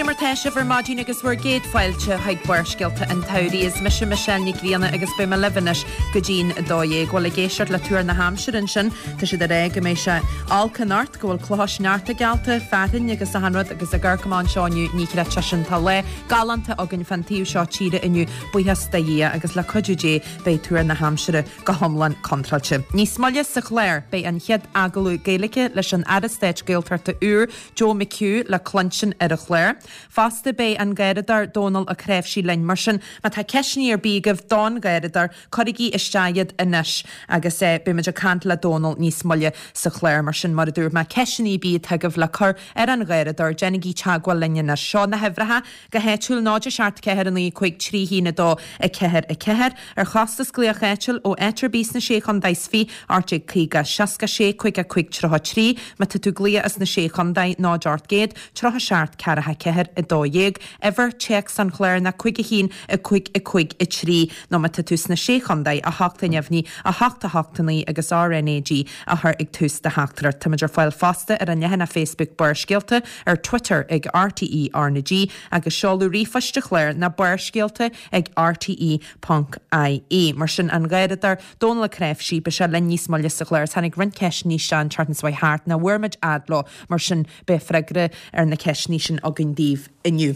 Goidé mar tá sibh ar maidin agus bhur gcéad fáilte chuig Barrscéalta an tSamhraidh. Is mise Michelle Nic Grianna agus beidh mé libh anois go dtí'n 12. Bhuel, ag éisteacht le tuar na haimsire ansin, tá siad ag rá go mbeidh sé olc anocht, go bhfuil clocha sneachta geallta, fearthainn agus achan rud agus ag amharc amach anseo inniu, ní chreidfeá sin. Tá lá galánta againn fán taobh seo tíre inniu, buíochas do Dhia, agus le cuidiú Dé beidh tuar na haimsire go hiomlán contráilte. Níos moille sa chlár, beidh an chéad agallamh Gaeilge leis an Aire Stáit Gaeltachta úr, Joe McHugh, le cluinstin ar an chlár. Fosta, beidh an Garradóir Dónal Ó Cnáimhsí linn. Mar sin, má tá ceisteanna ar bith agaibh don Gharradóir, cuirigí isteach iad anois agus beidh muid ag caint le Dónal níos moille sa chlár. Mar sin, mar a dúirt mé, ceisteanna ar bith atá agaibh le cur ar an Gharradóir, déanaigí teagmháil linn anois. Seo na huimhreacha. Go háitiúil, 0 7 4 9 5 3 1 2 4 4, ar chostas glaoch áitiúil ó áit ar bith sna Sé Chontae is 20, 1850 66 55 33, má tá tú ag glaoch as na Sé Chontae, 0 800 37 4 4 12, uimhir téacs an chláir ná 5 1 5 5 3, nó má tá tú sna Sé Chontae, 8 neamhní, 8 8 9 agus RnaG a chur ag tús do theachtaireacht. Táimid ar fáil fosta ar an leathanach Facebook Barrscéalta, ar Twitter ag RTÉ RnaG agus seoladh ríomhphoist an chláir ná barrscéalta ag rte ponc ie. Mar sin, an Garradóir, Dónal Ó Cnáimhsí, beidh sé linn níos moille sa chlár. Tháinig roinnt ceisteanna isteach an tseachtain seo thart nach bhfuair muid fhad leo, mar sin beidh freagra ar na ceisteanna sin againn daoibh inniu.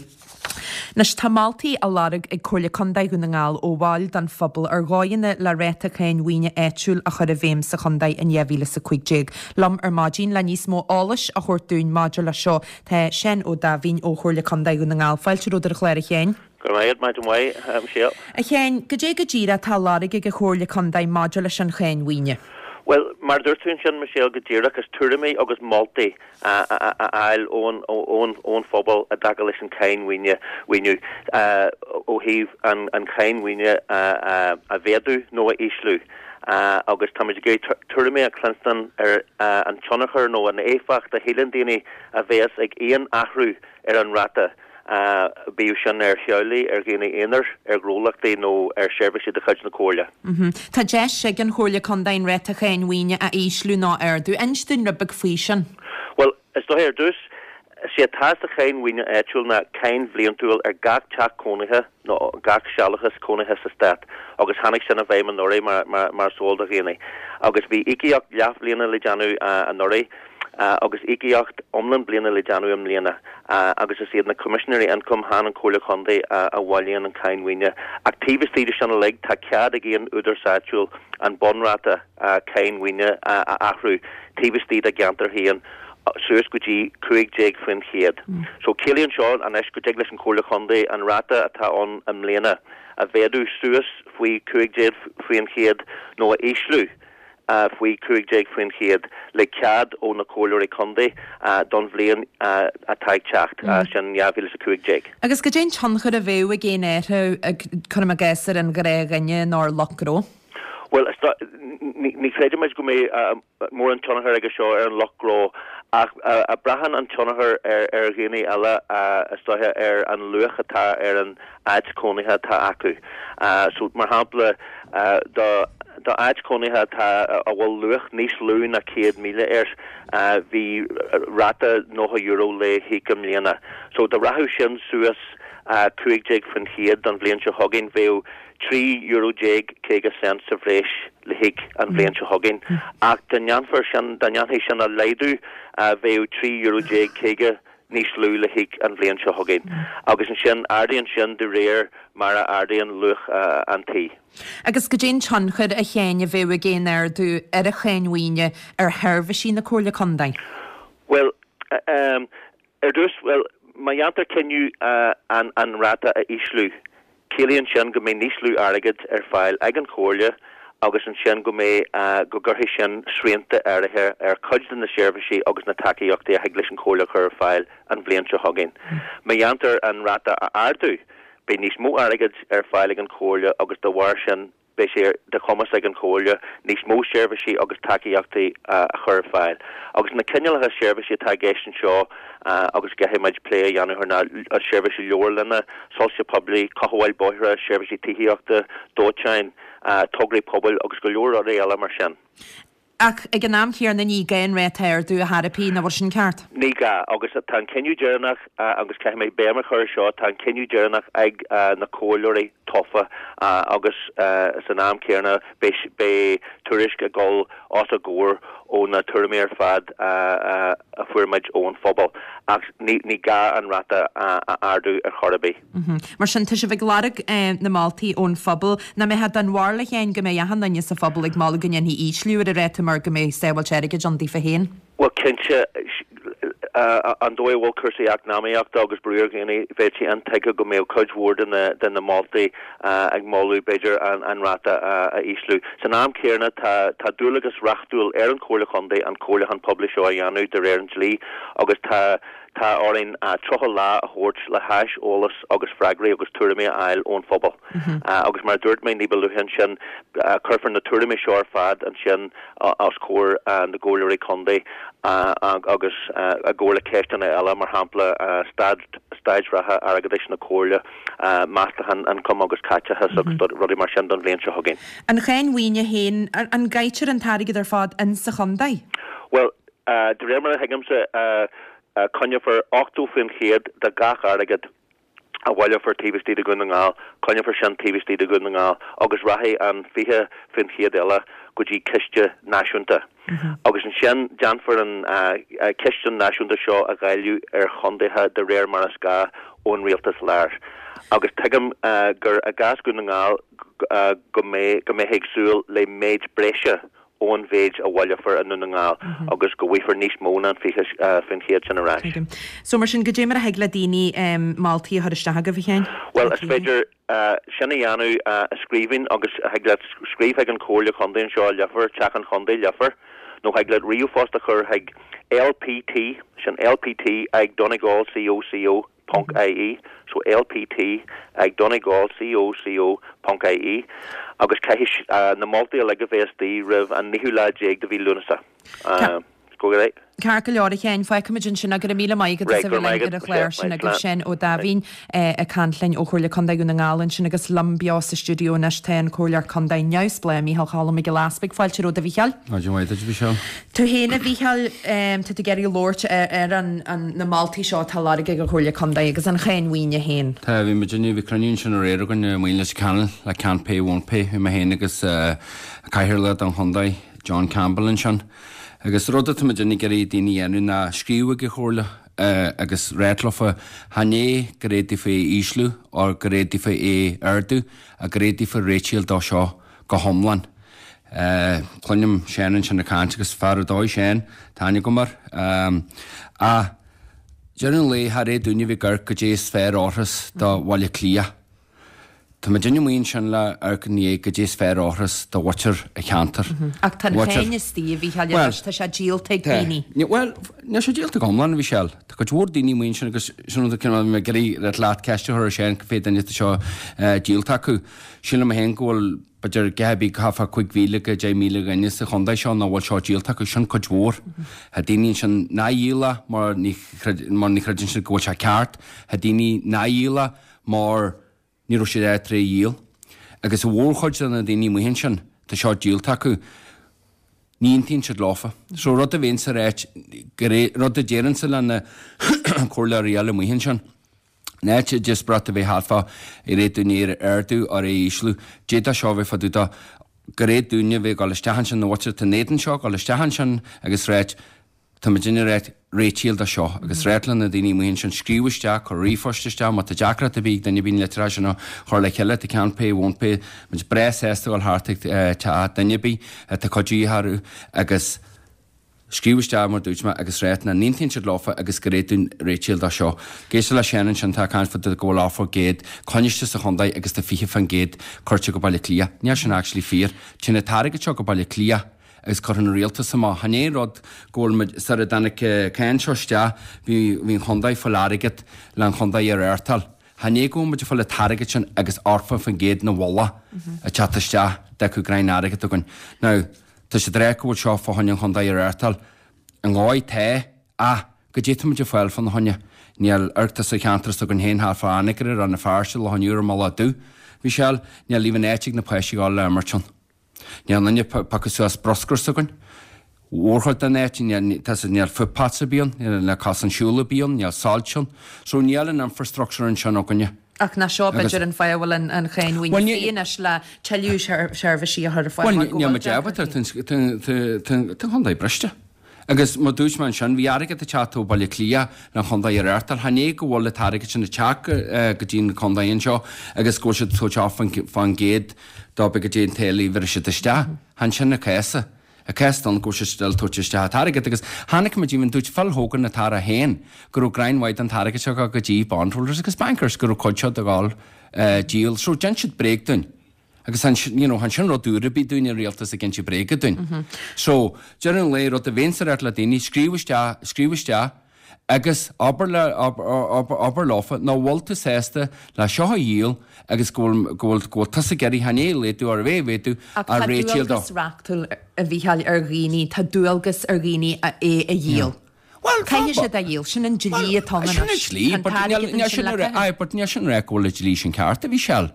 Anois, tá moltaí á lorg ag Comhairle Contae Dhún na nGall ó bhaill den phobal ar dhóigheanna le ráta cáin mhaoine áitiúil a chur i bhfeidhm sa chontae in 2015. Liom ar maidin le níos mó eolais a thabhairt dúinn maidir leis seo tá Seán Ó Daimhín ó Chomhairle Contae Dhún na nGall. Fáilte romhat ar an chlár a Sheáin. Go raibh maith agat, maidin mhaith, a Mhichelle. A Sheáin, goidé go díreach atá á lorg ag an Chomhairle Contae maidir leis an cháin mhaoine? Bhuel, mar a dúirt tú ansin, Michelle, go díreach, is tuairimí agus moltaí a fháil ón phobal i dtaca leis an cháin mhaoine, mhaoiniú, ó thaobh an cháin mhaoine a mhéadú nó a ísliú agus táimid ag iarraidh tuairimí a chluinstin ar an tionchar nó an éifeacht a shíleann daoine a bheas ag aon athrú ar an ráta. bíodh sin ar theaghlaigh, ar dhaoine aonair, ar ghnólachtaí nó ar sheirbhísí de chuid na Comhairle. Tá deis ag an Chomhairle Contae an ráta cháin mhaoine a ísliú nó a ardú. Inis dúinn rud beag faoi sin. Bhuel, is dóiche ar dtús, is é atá sa cháin mhaoine áitiúil ná cáin bhliantúil ar gach teach cónaithe nó gach sealúchas cónaithe sa Stát agus tháinig sin i bhfeidhm anuraidh mar is eol do dhaoine. Agus bhí íocaíocht leathbhliana le déanamh anuraidh. agus íocaíocht iomlán bliana le déanamh i mbliana agus is iad na Coimisinéirí Ioncaim, chan an Chomhairle Chontae, a bhailíonn an cháin mhaoine. Ach taobh istigh de sin uilig, tá cead ag aon údarás áitiúil an bunráta cáin mhaoine a athrú taobh istigh dá gceantar féin suas go dtí 15%. So ciallaíonn seo anois go dtig leis an Chomhairle Chontae an ráta atá ann i mbliana a mhéadú suas faoi 15% nó a ísliú faoi 15% le cead ó na Comhairleoirí Contae don bhliain atá ag teacht, sin 2015. Agus goidé an tionchar a bheadh ag aon athrú, cuirim i gcás, ar an ghnáthdhuine nó ar lucht gnó? Bhuel, ní chreidimid go mbeidh mórán tionchar aige seo ar an lucht gnó ach braitheann an tionchar ar dhaoine eile, is dóiche, ar an luach atá ar an áit chónaithe atá acu. So, mar shampla, do d'áit chónaithe atá, a bhfuil luach níos lú ná 100,000 air, bhí ráta €90 le híoc i mbliana. So, dá rachadh sin suas 15% don bhliain seo chugainn, bheadh €13 50 cent sa bhreis le híoc an bhliain seo chugainn. Ach dá ndéanfar sin, dá ndéanfaí sin a laghdú, bheadh €13 50 níos lú le híoc an bhliain seo chugainn, agus ansin ardaíonn sin de réir mar a ardaíonn luach an tí. Agus goidé an tionchar, a Sheáin, a bheadh ag aon ardú ar an cháin mhaoine ar sheirbhísí na Comhairle Contae? Bhuel, ar dtús, bhuel, má dhéantar cinneadh an ráta a ísliú, Ciallaíonn sin go mbeidh níos lú airgid ar fáil ag an Chomhairle agus ansin go mbeidh, go gcuirfidh sin srianta áirithe ar chuid de na seirbhísí agus na tacaíochtaí a thig leis an Chomhairle a chur ar fáil an bhliain seo chugainn. Má dhéantar an ráta a ardú, beidh níos mó airgid ar fáil ag an Chomhairle agus dá bharr sin, Beidh sé de chumas ag an Chomhairle níos mó seirbhísí agus tacaíochtaí a chur ar fáil. Agus na cineálacha seirbhísí atá i gceist anseo agus a gcaithfidh muid plé a dhéanamh air ná seirbhísí leabharlainne, soilse poiblí, cothabháil bóithre, seirbhísí tithíochta, dóiteáin, tograí pobail agus go leor rudaí eile mar sin. Ach ag an am chéanna ní gá an ráta a ardú ar chor ar bith, nach bhfuil sin ceart? Ní gá, agus tá an cinneadh deireanach, agus caithfidh mé béim a chur ar seo, tá an cinneadh deireanach ag na comhairleoirí tofa agus san am céanna beidh tuairisc ag dul os a gcomhair ó na tuairimí ar fad a fuair muid ón phobal. Ach ní gá an ráta a ardú ar chor ar bith. Mar sin, tá sibh ag lorg na moltaí ón phobal. Nach mbeadh den bharúil a Sheáin go mbeidh achan duine sa phobal ag moladh go ndéanfaí ísliú ar an ráta mar go mbeidh sábháilt airgid ann daofa féin? Bhuel, cinnte, an dóigh a bhfuil cúrsaí eacnamaíochta agus brú ar dhaoine, bheadh sé intuigthe go mbeadh cuid mhór de na moltaí ag moladh, b'fhéidir, an ráta a ísliú. San am céanna, tá dualgas reachtúil ar an Chomhairle Chontae an comhairliúchán poiblí seo a dhéanamh de réir an dlí agus tá Tá orainn 30 lá a thabhairt le hais eolas agus freagraí agus tuairimí a fháil ón phobal. Agus mar a dúirt mé ní ba luaithe ansin, cuirfear na tuairimí seo ar fad ansin os comhair na gcomhairleoirí contae agus i gcomhar le ceisteanna eile, mar shampla staid staid reatha airgeadais na comhairle, meastachán ioncaim agus caiteachas agus rudaí mar sin don bhliain seo chugainn. An cháin mhaoine féin, an gcaitear an t-airgead ar fad in sa chontae? Bhuel, De réir mar a thuigimse, coinneofar 80% de gach airgead a bhaileofar taobh istigh de Dhún na nGall, coinneofar sin taobh istigh de Dhún na nGall agus rachaidh an 20% eile go dtí ciste náisiúnta. Agus ansin déanfar an ciste náisiúnta seo a dháileadh ar chontaetha de réir mar is gá ón rialtas láir. Agus tuigim gur i gcás Dhún na nGall go mbeifí ag súil le méid breise ón mhéid a bhaileofar i nDún na nGall agus go bhfaighfear níos mó ná an 20% sin ar ais. Tuigim. So mar sin, goidé mar a thig le daoine moltaí a chur isteach agaibh, a Sheáin? Bhuel, is féidir sin a dhéanamh i scríbhinn agus thig leat scríobh chuig an Chomhairle Chontae anseo i Leifear, Teach an Chontae, Leifear, nó thig leat ríomhphost a chur chuig LPT, sin LPT ag Donegal CO CO ponc ie, so lpt ag donegal co co ponc ie, agus caithfidh na moltaí uilig a bheith istigh roimh an naoú lá déag de mhí Lúnasa. Go raibh. Ceart go leor, a Sheáin, fágfaimid ansin é. Go raibh míle maith agat as a bheith linn ar an chlár sin agus Seán Ó Daimhín ag caint linn ó Chomhairle Contae Dhún na nGall ansin agus liom beo sa stiúideo anois tá an Comhairleoir Contae neamhspleách Micheál Cholm Mac Giolla Easpaig. Fáilte romhat a Mhicheáil. Maidin mhaith duit, a Mhichelle. Tú féin, a Mhicheáil, tá tú ag iarraidh labhairt ar na moltaí seo atá á lorg ag an Chomhairle Contae agus an cháin mhaoine féin. Tá, bhí muid inniu, bhí cruinniú ansin aréir againn i Maoin Leitir Ceanainn le Can't Pay Won't Pay, bhí mé féin agus Cathaoirleach don Chontae, John Campbell ansin. Agus rud atá muid ag iarraidh daoine a dhéanamh ná scríobh ag an Chomhairle agus ráit leofa chan é gur éad daofa é a ísliú or gur éad daofa é a ardú ach gur éad daofa réitíl dó seo go hiomlán. Cluinim Seán ansin ag caint agus fear ar dóigh Seán, tá aithne agam air. Ach deireadh an lae char fhéad dúinne a bheith ag amharc goidé is fearr a fhóirfeas do Bhaile Átha Cliath. Tá muidinne amuigh ansin le amharc i ndiaidh goidé is fearr a fhóirfeas do mhuintir an cheantair. Ach tá an cháin istigh, a Mhícheáil, anois, tá sé díolta ag daoine. Bhuel, níl sé díolta go hiomlán, a Mhichelle. Tá cuid mhór daoine amuigh ansin agus sin rud a bhí mé ag iarraidh leat ceist a chur ar Seán, cé mhéad duine atá seo díolta acu. Sílim féin go bhfuil b'fhéidir a dhath ar bith thart fá 5,000 go 10,000 dhuine sa chontae seo nach bhfuil seo díolta acu, sin cuid mhór. Tá daoine ansin nár dhíol é mar ní mar ní chreideann siad go bhfuil sé ceart. Tá daoine nár dhíol é mar ní raibh siad ábalta é a dhíol. Agus an mhórchuid de na daoine amuigh ansin, tá seo díolta acu. Ní aontaíonn siad leofa. So rud a bheinnse ag ráit, rud a déarfainnse le na comhairleoirí eile amuigh ansin, In áit díospóireacht a bheith thart fá ar fhéad dúinne é a ardú or é a ísliú, d'fhéadfadh seo a bheith fá dtaobh de gur fhéad dúinne a bheith ag dul isteach ansin, na mhuintir atá in éadan seo, dul isteach ansin agus ráit, tá muidinne ag ráit réitíl do seo agus ráit le na daoine amuigh ansin scríobh isteach, cuir ríomhphost isteach má tá deacracht ar bith ag duine ar bith na litreacha sin a chur le chéile, tá Can't Pay Won't Pay, muid breá sásta dul thart ag teach duine ar bith atá cuidiú orthu agus. Scríobh isteach mar dúirt mé agus ráit nach n-aontaíonn siad leofa agus gur fhéad dúinn réitíl dó seo. Ag éisteacht le Seán ansin tá ag caint fá dtaobh go bhfuil 80% coinniste sa chontae agus tá 20% cuirte go Baile Átha Cliath. Níl sin actually fíor. Téann an t-airgead seo go Baile Átha Cliath agus cuireann an rialtas amach. Chan é an rud go bhfuil muid, sar a dtáinig cáin seo isteach bhí bhí an chontae ag fáil airgead le an chontae a reáchtáil. Chan é go bhfuil muid ag fáil an t-airgead sin agus 80% na mhullach ag teacht isteach d'fhágfadh greim airgead againn. Now, Tá siad ag rá go bhfuil seo fá choinne an chontae a reáchtáil. I ndóigh, tá, ach goidé tá muid ag fáil fána choinne? Níl, amharc sa cheantar s'againn féin thart fá Anagaire, Rann na Feirste, Loch an Iúir, i Mullach Dubh. Mhichelle, níl even áit ag na páistí a ghabháil le imirt ann. Níl aon duine ag piocadh suas bruscar s'againn. Mhórchuid den áit, níl footpaths ar bith ann, níl cosán siúil ar bith ann, níl soilse ann. So níl an infrastructure ansin againne. Ach nach seo b'fhéidir an fáth a bhfuil an cháin mhaoine faoi anois le tuilleadh seirbhísí a chur ar fáil mar go bhfuil deacrachtaí. Tá an chontae briste. Agus mar dúirt mé ansin, bhí airgead ag teacht ó Bhaile Átha Cliath le an chontae a reáchtáil. Chan é go bhfuil an t-airgead sin ag teacht go dtí an contae anseo agus go bhfuil siad ag tabhairt 8% dóibh go dtí an táille a bhris siad isteach. Chan sin an cás. An cás atá ann go bhfuil siad still ag tabhairt isteach an t-airgead agus chonaic muid even dúirt Phil Hogan an tAire féin go raibh greim mhaith den t-airgead seo ag dul go dtí bondholders agus bankers go raibh cuid seo ag dul díol so dein siad bréag dúinn agus chan you know chan sin rud úr ar bith dúinn an rialtas ag inse bréaga dúinn so deireadh an lae rud a bheinnse ag ráit le daoine scríobh isteach scríobh isteach Agus abair le, abair leofa nach bhfuil tú sásta le seo a dhíol agus go bhfuil, go bhfuil, go bhfuil tusa ag iarraidh chan é a laghdú ar bheith a mhéadú Ach tá réitíl dó. dualgas reachtúil, a Mhícheáil, ar dhaoine, tá dualgas ar dhaoine é a dhíol. Bhuel, Caithfidh siad é a dhíol, sin an dlí atá ann sin an anois. dlí, Tá an but níl, t-airgead níl ansin sin le a rá, caitheamh. aye, but níl sin a rá go bhfuil an dlí sin ceart, a Mhícheáil.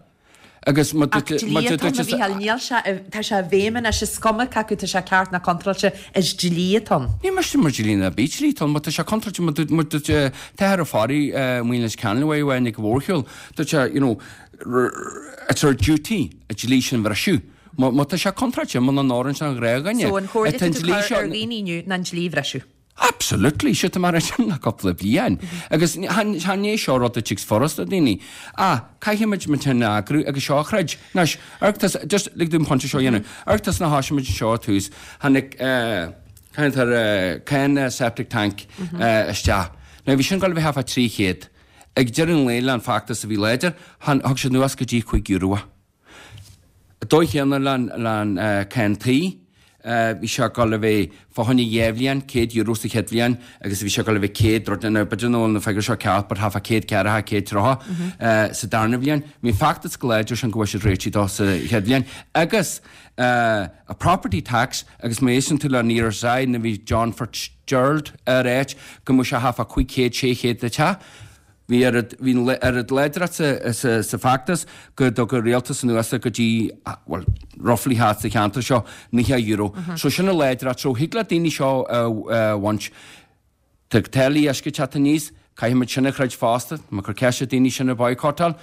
Agus má Ach dúirt, dlí má atá dúirt, ann, a Mhícheáil, níl sé, tá sé i bhfeidhm anois, is cuma cé acu tá sé ceart ná contráilte, is dlí atá ann. Ní miste mar dlí ná bí dlí atá ann, má tá sé contráilte, má dúirt, má dúirt t-athair Ó Fearraigh, Maoinis Ceannlaoi amháin ag an mhórshiúl, dúirt sé, you know, it's our duty an dlí sin a bhriseadh. Má, má tá sé contráilte, muna n-oireann sé don ghnáthdhuine, So an chomhairle tá atá an tú dlí cur seo, ar dhaoine inniu ná an dlí a bhriseadh. Absolutely, sé tá mar sin le cúpla bliain. Agus chan é seo rud a tig furasta do daoine. Ach caithfimid muid féin a eagrú agus seo a throid. Anois, amharc tusa, just lig dom an pointe seo a dhéanamh. Amharc tusa nuair a thoisigh muid anseo ar tús, tháinig eh, tháinig tar eh, cáin septic tank eh, isteach. Now bhí sin ag dul a bheith thart fá 300. Ag deireadh an lae le an feachtas a bhí láidir, thug siad anuas go dtí €5 é. Dóigh chéanna le an cáin tí, bhí sé ag dul a bheith fá choinne dhá bhliain, €100 sa chéad bhliain agus bhí sé ag dul a bheith 100 rud, now b'fhéidir nach bhfuil na figiúirí seo ceart but thart fá 140, 130 sa darna bhliain. Bhí an feachtas go láidir sin go bhfuair siad réitigh dó sa chéad bhliain. Agus a property tax agus má éisteann tú le an ERSI nuair a bhí John Fitzgerald ar áit go mbeadh sé thart fá 500, 600 le teach. Bhí oiread, bhí an oiread láidreacht sa, sa feachtas go dtug an rialtas anuas go dtí, bhuel, roughly thart sa cheantar seo, €90. So sin an láidreacht. So thig le daoine seo a bhaint. Tá táillí uisce ag teacht aníos, caithfimid sin a throid fosta. Tá mé ag cur ceist ar daoine sin a boycottáil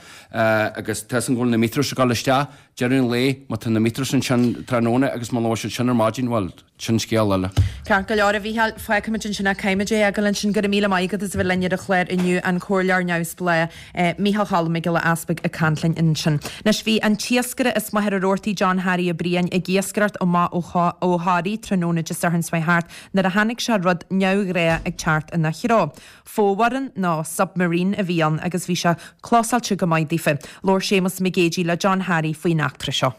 agus tá 'fhios agam go bhfuil na meters ag dul isteach. Deireadh an lae, má tá na meters ansin tráthnóna agus muna bhfuil siad sin ar maidin, bhuel, Sin scéal eile. Ceart go leor, a Mhícheáil, fágfaimid ansin é, caithfimid é a fhágáil ansin. Go raibh míle maith agat as a bheith linn ar an chlár inniu, an Comhairleoir Neamhspleách, Mícheál Cholm Mac Giolla Easpaig ag caint linn ansin. Anois, bhí an t-iascaire as Machaire Rabhartaigh, John Harry Ó Briain, ag iascaireacht amach ó Thoraí tráthnóna Dé Sathairn seo thart nuair a chonaic sé rud neamhghnách ag teacht ina threo. Fomhuireán nó submarine a bhí ann agus bhí sé clósáilte go maith daofa. Labhair Séamus Mac Géidigh le John Harry faoin eachtra seo.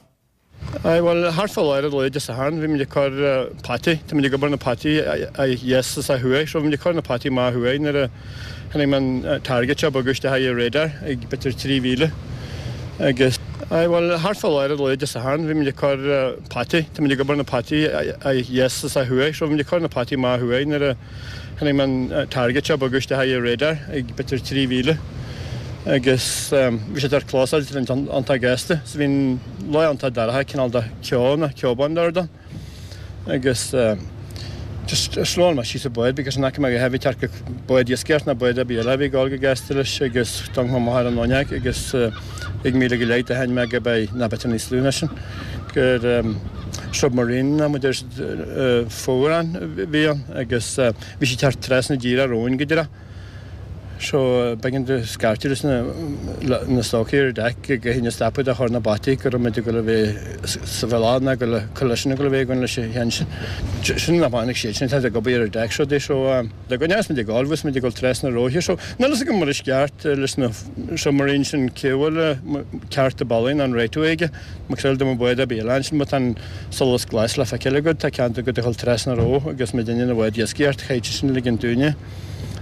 Aye, bhuel, thart fá lár an lae Dé Sathairn, bhí muid ag cur peataí, tá muid ag obair na peataí ó dheas is ó thuaidh, so bhí muid ag cur na peataí amach ó thuaidh nuair a chonaic mé an target seo ag bogadh isteach ar radar ag b'fhéidir 3 mhíle agus. Aye, bhuel, thart fá lár an lae Dé Sathairn, bhí muid ag cur peataí, tá muid ag obair na peataí ó dheas is ó thuaidh, so bhí muid ag cur na peataí amach ó thuaidh nuair a Chonaic mé an target seo ag bogadh isteach ar radar ag b'fhéidir 3 mhíle agus bhí sé tar clósáilte iontach gasta so bhí an lá iontach dorcha cineál de ceo nó ceobán dord ann agus just slowáil mé síos an bád because an fhaca mé go heavy tearc bád iascaireacht ná bád ar bith eile a bhí ag dul go gasta leis agus d'amharc mé amach ar an fhuinneog agus ag míle go leith do sheinn mé go beidh ná b'fhéidir níos lú ná sin gur submarine ná muid ar fomhuireán a bhí ann agus bhí sé ag teacht trasna díreach romhainn go díreach. So b'éigean di scairteadh leis na stocaí ar deck go hinne stopadh de chur na bataí go raibh muid ag dul a bheith sa bhealach ná go le collision ag dul a bheith againn leis an cheann sin. Sin nach tháinig siad sin tá ag obair ar deck seo dé so de go ndeas muid ag dul bhí muid ag dul trasna róithe so níl fhios agam mar is ceart leis na submarine sin cé bhfuil ceart a bealaigh ná an right of way aige. Mar dá mba bád ar bith eile ansin má tá an solas glas le feiceáil agat, tá ceann agat a dhul trasna ró agus muid ina bhád iascaireacht, chaithfeadh sin ligean dúinne.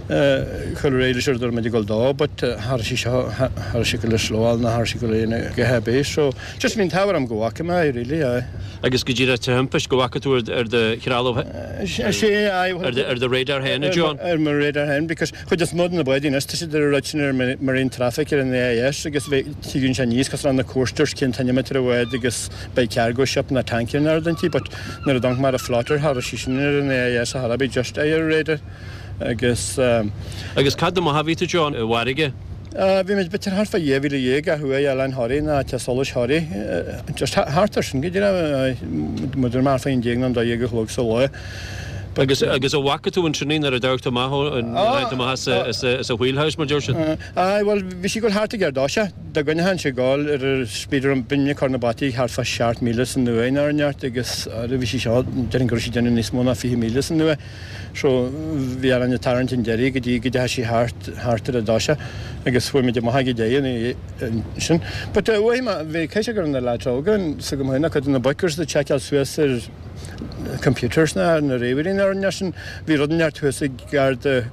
Chuir ar aghaidh leis ar dúirt muid ag dul dó but cha raibh sí seo, cha raibh sí ag dul a slowáil ná cha raibh sí ag dul a dhéanamh a dhath ar bith so just bhí an t-ádh orm go bhfaca mé é really, aye. Agus go díreach thimpist go bhfaca tú ar do threalamh, ar do radar féin, a John? Ar mo radar féin because chuid is mó de na báid anois tá siad ar an rud sin ar marine traffic ar an AIS agus tigeann sé aníos cosúil le na coasters cén toinne ar an bhád agus beidh cargo ship ná tanker ná rud inti but nuair a d'amharc mé ar an floater cha raibh sí sin ar an AIS a chor ar bith just ar an radar. Agus. Agus c'fhad amach a bhí tú, John, i bhfarraige? Bhí muid b'fhéidir thart fá 12,000 ó thuaidh Oileán Thoraí ná Teach Solais Thoraí. Just thart ar sin go díreach. Muid ar thart fá 11 nó 12 a chlog sa lá. Agus agus an bhfaca tú ansin í nuair a d'amharc tú amach ó an nuair a tháinig tú amach as a as a as a wheelhouse mar deir siad? Aye, bhuel bhí sí ag dul thart ag ar dtoiseach. Dá gcoinneochainn sé ag dul ar a speed ar an binn ag cur na bataí thart fá 7 míle san uair nó ar neart agus bhí sí seo déarfainn go raibh sí ag déanamh níos mó ná 20 míle san uair. So bhí orainn ag tarraingt an deiridh go dtí go dteachaigh sí thart, thart ar an dtoiseach agus chuaigh muid amach ag an deireadh ansin. But uaidh mé, bhí caithfidh sé go raibh na lads óga s'agam féin, cuid de na boic agus ag tseiceáil suas ar computers na na ríomhairí na rudaí sin, bhí rud inteacht thuas ag gar do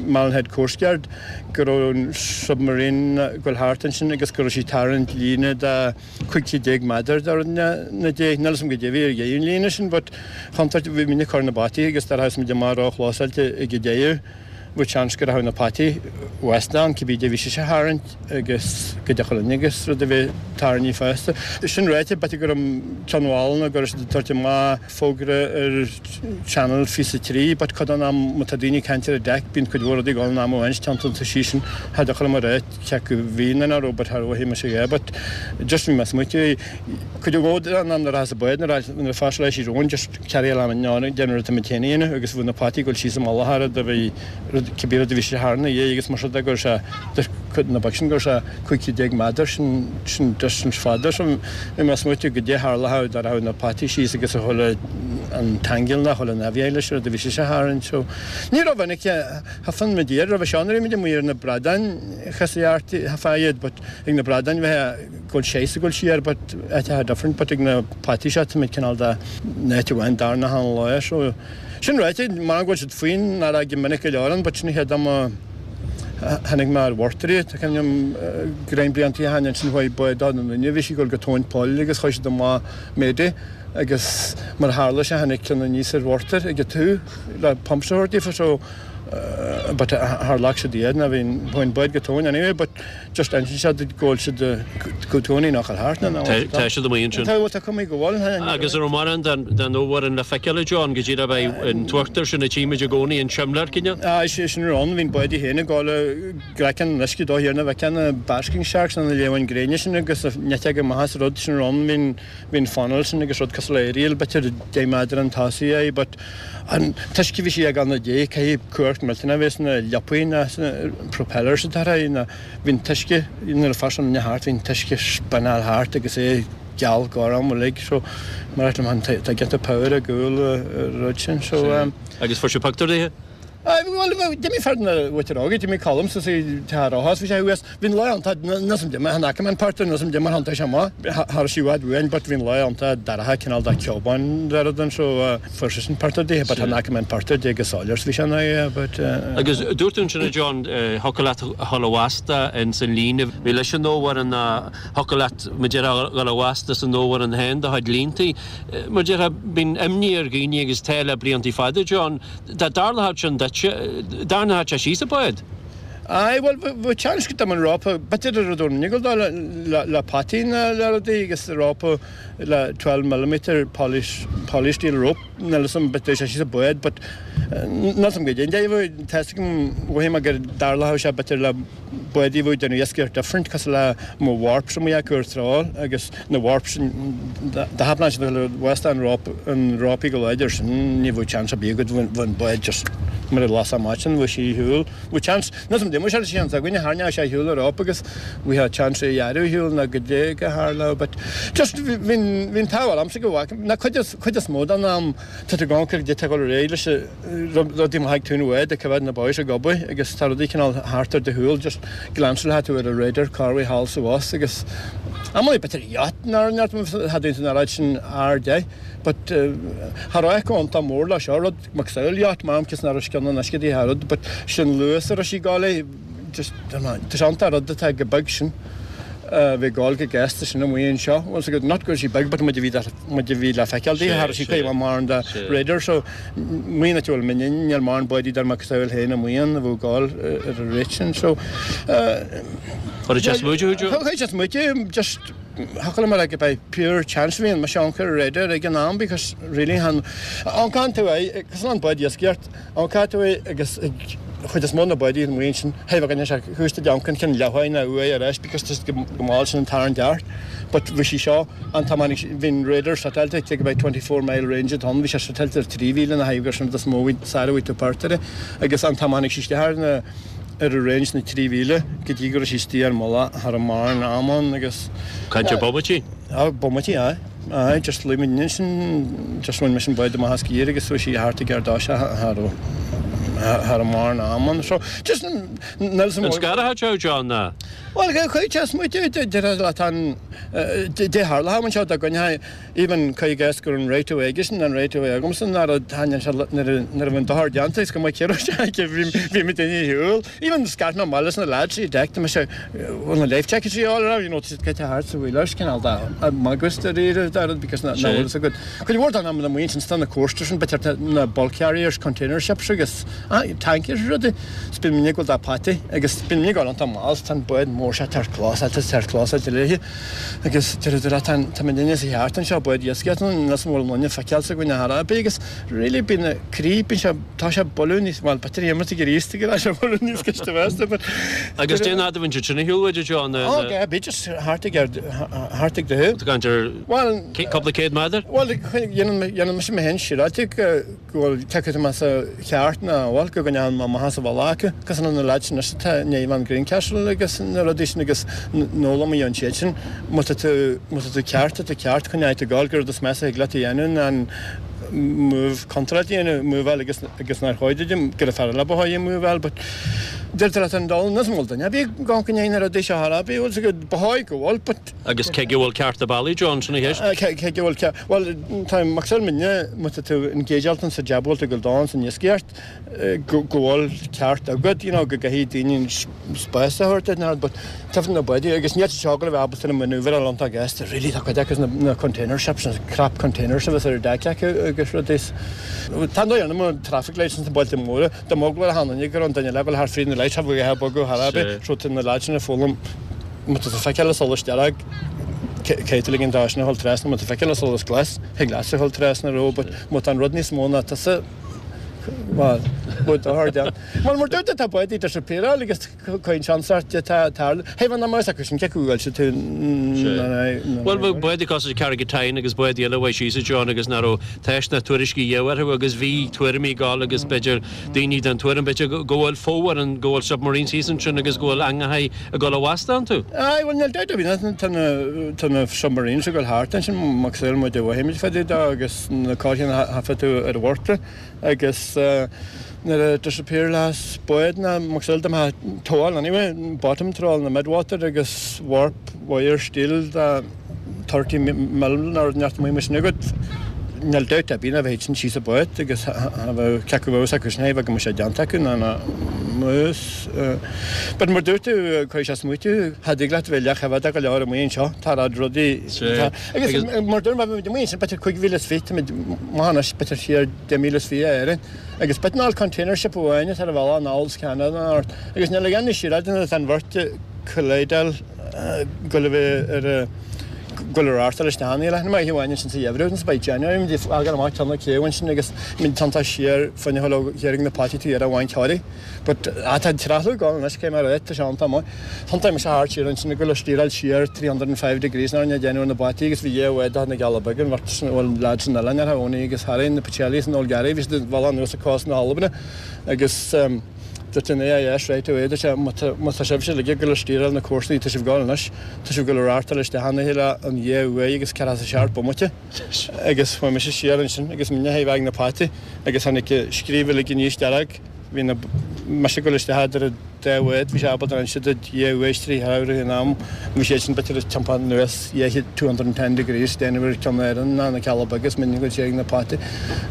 Malin Head Coast Guard go raibh an submarine ag goil thart ansin agus go raibh sí ag tarraingt líne de 15 céad méadar de rud na dé. Níl 'fhios a'm goidé a bhí ar dheireadh an líne sin but chontúirt bhí muidne ag cur na bataí agus dar sheas muid amach ró-chlósáilte ag an deireadh bhí seans go rachadh na pataí west ann cibé dé bhí sise a tharraingt agus go dtiocfadh linn agus rud a bheith tarraingthe fosta. Sin ráite b'fhéidir go raibh ceann mhálanna go raibh siad ag tabhairt amach fógra ar Channel 23 but cuid den am má tá daoine ag caint ar an deck bíonn cuid mhór rudaí ag dul in am amháin teannta an toisí sin cha dtiocfadh liom a rá cé acu bhí nó nach raibh but cha raibh mise aige but just bhí mé ag smaointiú cuid mhór den am nuair a theas an bád nuair a phasáil sí romhainn just carry along an ná déanamh rud tá muid féin a dhéanamh agus bhí na potaí ag dul síos i mullach ar do bhí rud cibé rud a bhí sé thar na dhiaidh agus mar sin de go raibh sé de cuid na boic sin go raibh sé 15 méadar sin sin distance fada so bhí mé ag smaointiú goidé tharlódh dá rachadh na potaí síos agus a chuile an tangle ná chuile naimh leis rud a bhí sé tharainn so ní raibh minic Thaifead muid iad roimhe seo nuair a bhí muid amuigh ar na bradáin chas thaifeadh iad but ag na bradáin bheith ag dul síos ag dul siar but áiteacha different but ag na potaí seo tá muid cineál de in áit amháin darna han lá so sin ráite mar go bhfuil siad faoin fharraige minic go leor ann but sin an chéad am a tháinig mé ar mhortar iad tá cuimhne agam greim blianta ó shin ansin chuaigh bád na nduine bhí sí ag dul go tóin poill agus chuir siad amach mayday agus mar a tharla sé tháinig ceann aníos ar mhortar ag an taobh le pumps a thabhairt daofa so but char ghlac siad iad ná bhí an bád go tóin anyway but just insíonn sé duit go bhfuil siad go tóin nach bhfuil thart ná Tá siad amuigh ansin. Tá bhuel tá cuma go bhfuil. Agus an raibh mórán den fhomhuireán le feiceáil a John go dtí beidh an t-uachtar sin a tchímid i gcónaí an simléar cineál? Aye sin rud ann bhí an bád í féin ag gabháil gcraiceann an uisce dó thiar na bhfeiceann na basking sharks na liamháin gréine sin agus a neiteoga amach as rud sin rud ann bhí Bhí an funnel sin agus rud cosúil le aerial b'fhéidir 10 méadar an tosaigh é but an t-uisce bhí sí ag an dé caithfidh cumhacht millteanach a bheith sna liopaí ná sna propellers atá ar aghaidh ná bhí an t-uisce nuair a phas an thart bhí an t-uisce spinneáil thart agus é geal gorm uilig so mar liom tá giota power ag gabháil an rud sin so um, Agus fuair sibh pictiúr de? Bhuel, d'imigh fear na mhuintir óga, d'imigh Colm suas i dTeach Rothos, bhí sé thuas, bhí an lá iontach, níl 'fhios a'm dé mar chan fhaca mé an pictiúr, níl 'fhios a'm dé mar thiontaigh sé amach, cha raibh sí i bhfad uainn but bhí an lá iontach dorcha cineál de ceobán de rud ann so fuair seisean pictiúr di but chan fhaca mé an pictiúr dé go soiléir is bhí sé ina aghaidh but. Agus dúirt tú ansin a John, thiocfadh leat a dhul i bhfast ins an líne, bhí leis an fhomhuireán ná thiocfadh leat mar déarfá a dhul i bhfast as an fhomhuireán féin do chuid líontaí. Mar déarfá, bíonn imní ar dhaoine agus tá le bliantaí fada John, Dá dtarlódh sin duit, dtarraingeodh sé síos an bád. Aye, bhuel, bheadh seans go dtam an rópa, b'fhéidir a rud ón niggle dó le potaí ná le rudaí agus rópa le 12 millimetre poly polysteel rope, níl 'fhios a'm, b'fhéidir sé síos an bád, but níl 'fhios a'm goidé an dóigh a bhfuil, tá 'fhios agam, mhothaigh mé gur dtarlódh sé b'fhéidir le bádaí a bheadh ag déanamh iascaireacht different cosúil le mo warps amuigh acu ar trawl agus na warps dá thaipneáil siad le west an rope an rópaí go láidir sin ní bheadh chance ar bith agat bheadh an bád just mar a las amach sin bheadh sí ar shiúl bheadh chance níl 'fhios a'm d'imigh sé seans againne tharraingeodh sé ar shiúl an rope agus bheadh chance é a ghearradh ar shiúl nó goidé go tharlódh but just bhí bhí an t-ádh ormsa go bhfaca na cuid is cuid is mó den am tá tú ag amharc ar goidé atá ag dul ar aghaidh leis rudaí maithe ag taobh an bháid ag coimhéad na boys ag obair agus tá rudaí cineál thart ar do shúil just glanceáilfidh tú ar an radar cá raibh thall sa bhus agus amannaí b'fhéidir yacht nár neart cha dtéann tú an oiread sin airde but cha raibh go iontach mór le seo rud macasamhail yacht m'am cos nach raibh scil. gceann an uisce di thar rud but sin luas a raibh sí ag gabháil é just tá sé iontach rud atá chomh beag sin a bheith ag gabháil chomh gasta sin amuigh anseo bhfuil 's agat not go raibh sí beag but muid a bhí muid a bhí le feiceáil di cha raibh sí cuid mhaith mórán de radar so amuigh an áit a bhfuil muidne níl mórán báidí dar macasamhail féin amuigh ann a bheadh ag gabháil ar an rate sin so Chuir sé smaoitiú thú Joe? Chuir sé smaoitiú just thiocfadh liom a rá go by pure chance bhí an mise amharc ar radar ag an am because really chan amharcann tú é cosúil le an bád iascaireacht amharcann tú é agus ag chuid is mó na báidí amuigh ansin hé bheadh sé thuas de amharc an ceann leathuair nó uaidh ar ais because just go mall sin an tarraingt ceart but bhí sí seo an t-am tháinig sí bhí an radar setáilte ag about 24 mile range atá ann bhí sé setáilte ar 3,000 na haghaidh gur sin rud is mó bhí sara bhí tú páirt air agus an t-am tháinig sí isteach ar na ar an range na 3,000 go dtí go raibh sí istigh ar mullach cha raibh mórán am ann agus. Caint ar bomaití? Á, bomaití, aye. Aye, just luigh muid ansin, just bhain mise an bád amach as giar agus chuaigh sí thart ag Ardóise cha raibh, cha raibh mórán am ann. So, just, níl sa An scartha seo, John, ná? Bhuel, chuaigh sé smaoitiú, deir leat an, dé tharla anseo dá gcoinneoidh Even cuir i gcás go raibh an right of way aigesean, an right of way agamsa, ná raibh thaitnigh sé nuair a nuair a bhí an dochar déanta is go mbeadh céard sé aici bhí bhí muid ar shiúl. Even scairt mé amach leis na lads i deck tá mise bhfuil na life jackets a fháil you know tá siad caite thart sa bhfuil cineál de magus de réir de rud because na na bhfuil a fhios agat. Cuid mhór den am na maoin sin tá na coasters sin b'fhéidir na bulk carriers container ships agus ah tankers rudaí. 's bíonn muid ag gabháil dá pataí agus bíonn muid ag gabháil iontach mall 's tá an bád mór seo tar close tar close léi. Agus deir tú leat, tá muidinne sa cheart anseo, bád iascaigh ann, níl 's an bhfuil an loinne feiceáilte againn ar chor ar bith agus really bíonn na croí, bíonn sé, tá sé bualadh níos, bhuel b'fhéidir imeacht ag iarraidh ag rá sé bualadh níos gaiste feasta but. Agus cén fhad a bhíonn siad sin ar shiúl uait John? Ó, go bhí just thart ag ar, thart ag do Tá caint ar Bhuel, cúpla céad méadar? Bhuel, dhéanann mise mé féin siúráilte go go bhfuil cé acu tá mé sa cheart nó bhuel go gcoinneoidh mé amach as an bhealach acu cosúil le na lads anois atá i ndiaidh an Greencastle agus na rudaí sin agus d'fhoghlaim mé ón siad sin má tá tú má tá tú ceart tá tú ceart coinneoidh tú ag gabháil gur rud is measa a thig leat a dhéanamh ná an move contráilte a dhéanamh move-áil agus agus nár chóir duit gur fearr le ba chóir move-áil but deirtear leat an dul níos mó duine a bhí gan go ndéanfaidh na rudaí seo thar a bhí bhfuil go ba chóir go bhfuil but Agus cé go bhfuil ceart a bealaigh, John, sin an cheist. Cé go bhfuil ceart, bhuel, tá mé ag muidne, má tá tú in géidealtan sa diabhal tú go dán san iascaireacht, go bhfuil ceart agat, you know, go gcaithfidh daoine spás a thabhairt duit, but taifead na báidí, agus níl sé seo go raibh ábalta na maneuver a iontach gasta, really, tá cuid acu na container ships, na crap containers a bheas ar deck acu agus rudaí. Tá an dóigh ann, traffic lights sna bailte móra, dá mb'eagla ar achan duine go raibh an duine eile ag dul thart fríd na lights, cha bheadh a bogadh thar ar bith, so tá na lads sin ag foghlaim Má tá tú feiceáil an solas dearg, caithfidh tú ligean dó sin a dhul trasna, má tá feiceáil an solas glas, thig leatsa a dhul trasna ró, but má tá an rud níos mó ná tusa, bhuel, bhuel dochar déan. Bhuel, mar dúirt tá báidí disappearáil agus cuireann seans ort de tá tarlú. Hé, bhuel, ná mar is acu sin cé acu a bhfuil tú Bhuel, bheadh báidí cosúil le Carrigatyne agus báidí eile a bheidh síos a John agus nach raibh teist ná tuairiscí a dhéanamh orthu agus bhí tuairimí ag gabháil agus b'fhéidir daoine den tuairim b'fhéidir go bhfuil fobhar an go bhfuil submarines thíos ansin agus go bhfuil eangacha ag dul i bhfasta iontu. Aye, bhuel níl dabht ar bith tá na tá na submarines ag dul thart ansin macasamhail muid a mhothaímid fá dtaobh dó agus na cáilíní a thaifead tú ar an bhorta agus nuair a disappear las bád ná macasamhail dá mbeadh togháil anyway bottom trawl na midwater agus warp wire steel dá 30 mil nó rud inteacht amuigh mar sin agat. Níl dabht ar bith ná bheadh sin síos an bád agus cha bheadh cé acu bheadh acu sin é bheadh go mbeadh sé déanta acu ná ná mus. But mar dúirt tú cuirfidh sé smaoitiú cha dtig leat bheith leathchoimheadach go leor amuigh anseo tá rad rudaí agus mar dúirt mé bhí amuigh ansin b'fhéidir 25,000 táimid maith anois b'fhéidir siar 10,000 a Éirinn agus b'fhéidir ná container ship amháin atá ar an bhealach anall is Ceanada ort agus níl ag aon siar tá an bheirt colloidal go le bheith ar a go le reáchtáil isteach ann. Leath na maithe amháin ansin sa gheimhreadh agus by January muid ag fágáil amach ceann na céibh ansin agus muid tiontach siar fá choinne dhul ó thiar ag na potaí taobh thiar abhainn Thoraí. But ah tá an treathlú ag dul anois cé mar é tá sé iontach maith. Thiontaigh mise thart siar ansin ag dul a stíoráil siar 305 degrees ná rinne déanamh ar na bataí agus bhí dhé uaidh do na Geala Beaga an bheirt sin bhuel lads san oileán ar Owney agus Harry na Pacelli san Old Gary bhí siad ag bhealach anuas ag cósta na hAlban agus Dúirt an AIS right away, dúirt sé, má tá sibhse uilig ag dul ag stíoráil na cúrsaí, tá sibh ag gabháil anois, tá sibh ag dul ag reáchtáil isteach ina chéile an dhá uaidh agus ceathracha a seacht bomaite. Agus chuaigh mise siar ansin agus muidne thaobh ag na potaí agus tháinig scríobh uilig aníos dearg, bhí na, mise ag dul isteach idir an dá bhád, bhí sé ábalta inse duit dhá uaidh trí threabhradh in am, bhí siad sin b'fhéidir ag tiompáil anuas 210 degrees déanamh ar Cheann Éireann ná na Cealla Beaga is muidne ag dul siar ag na potaí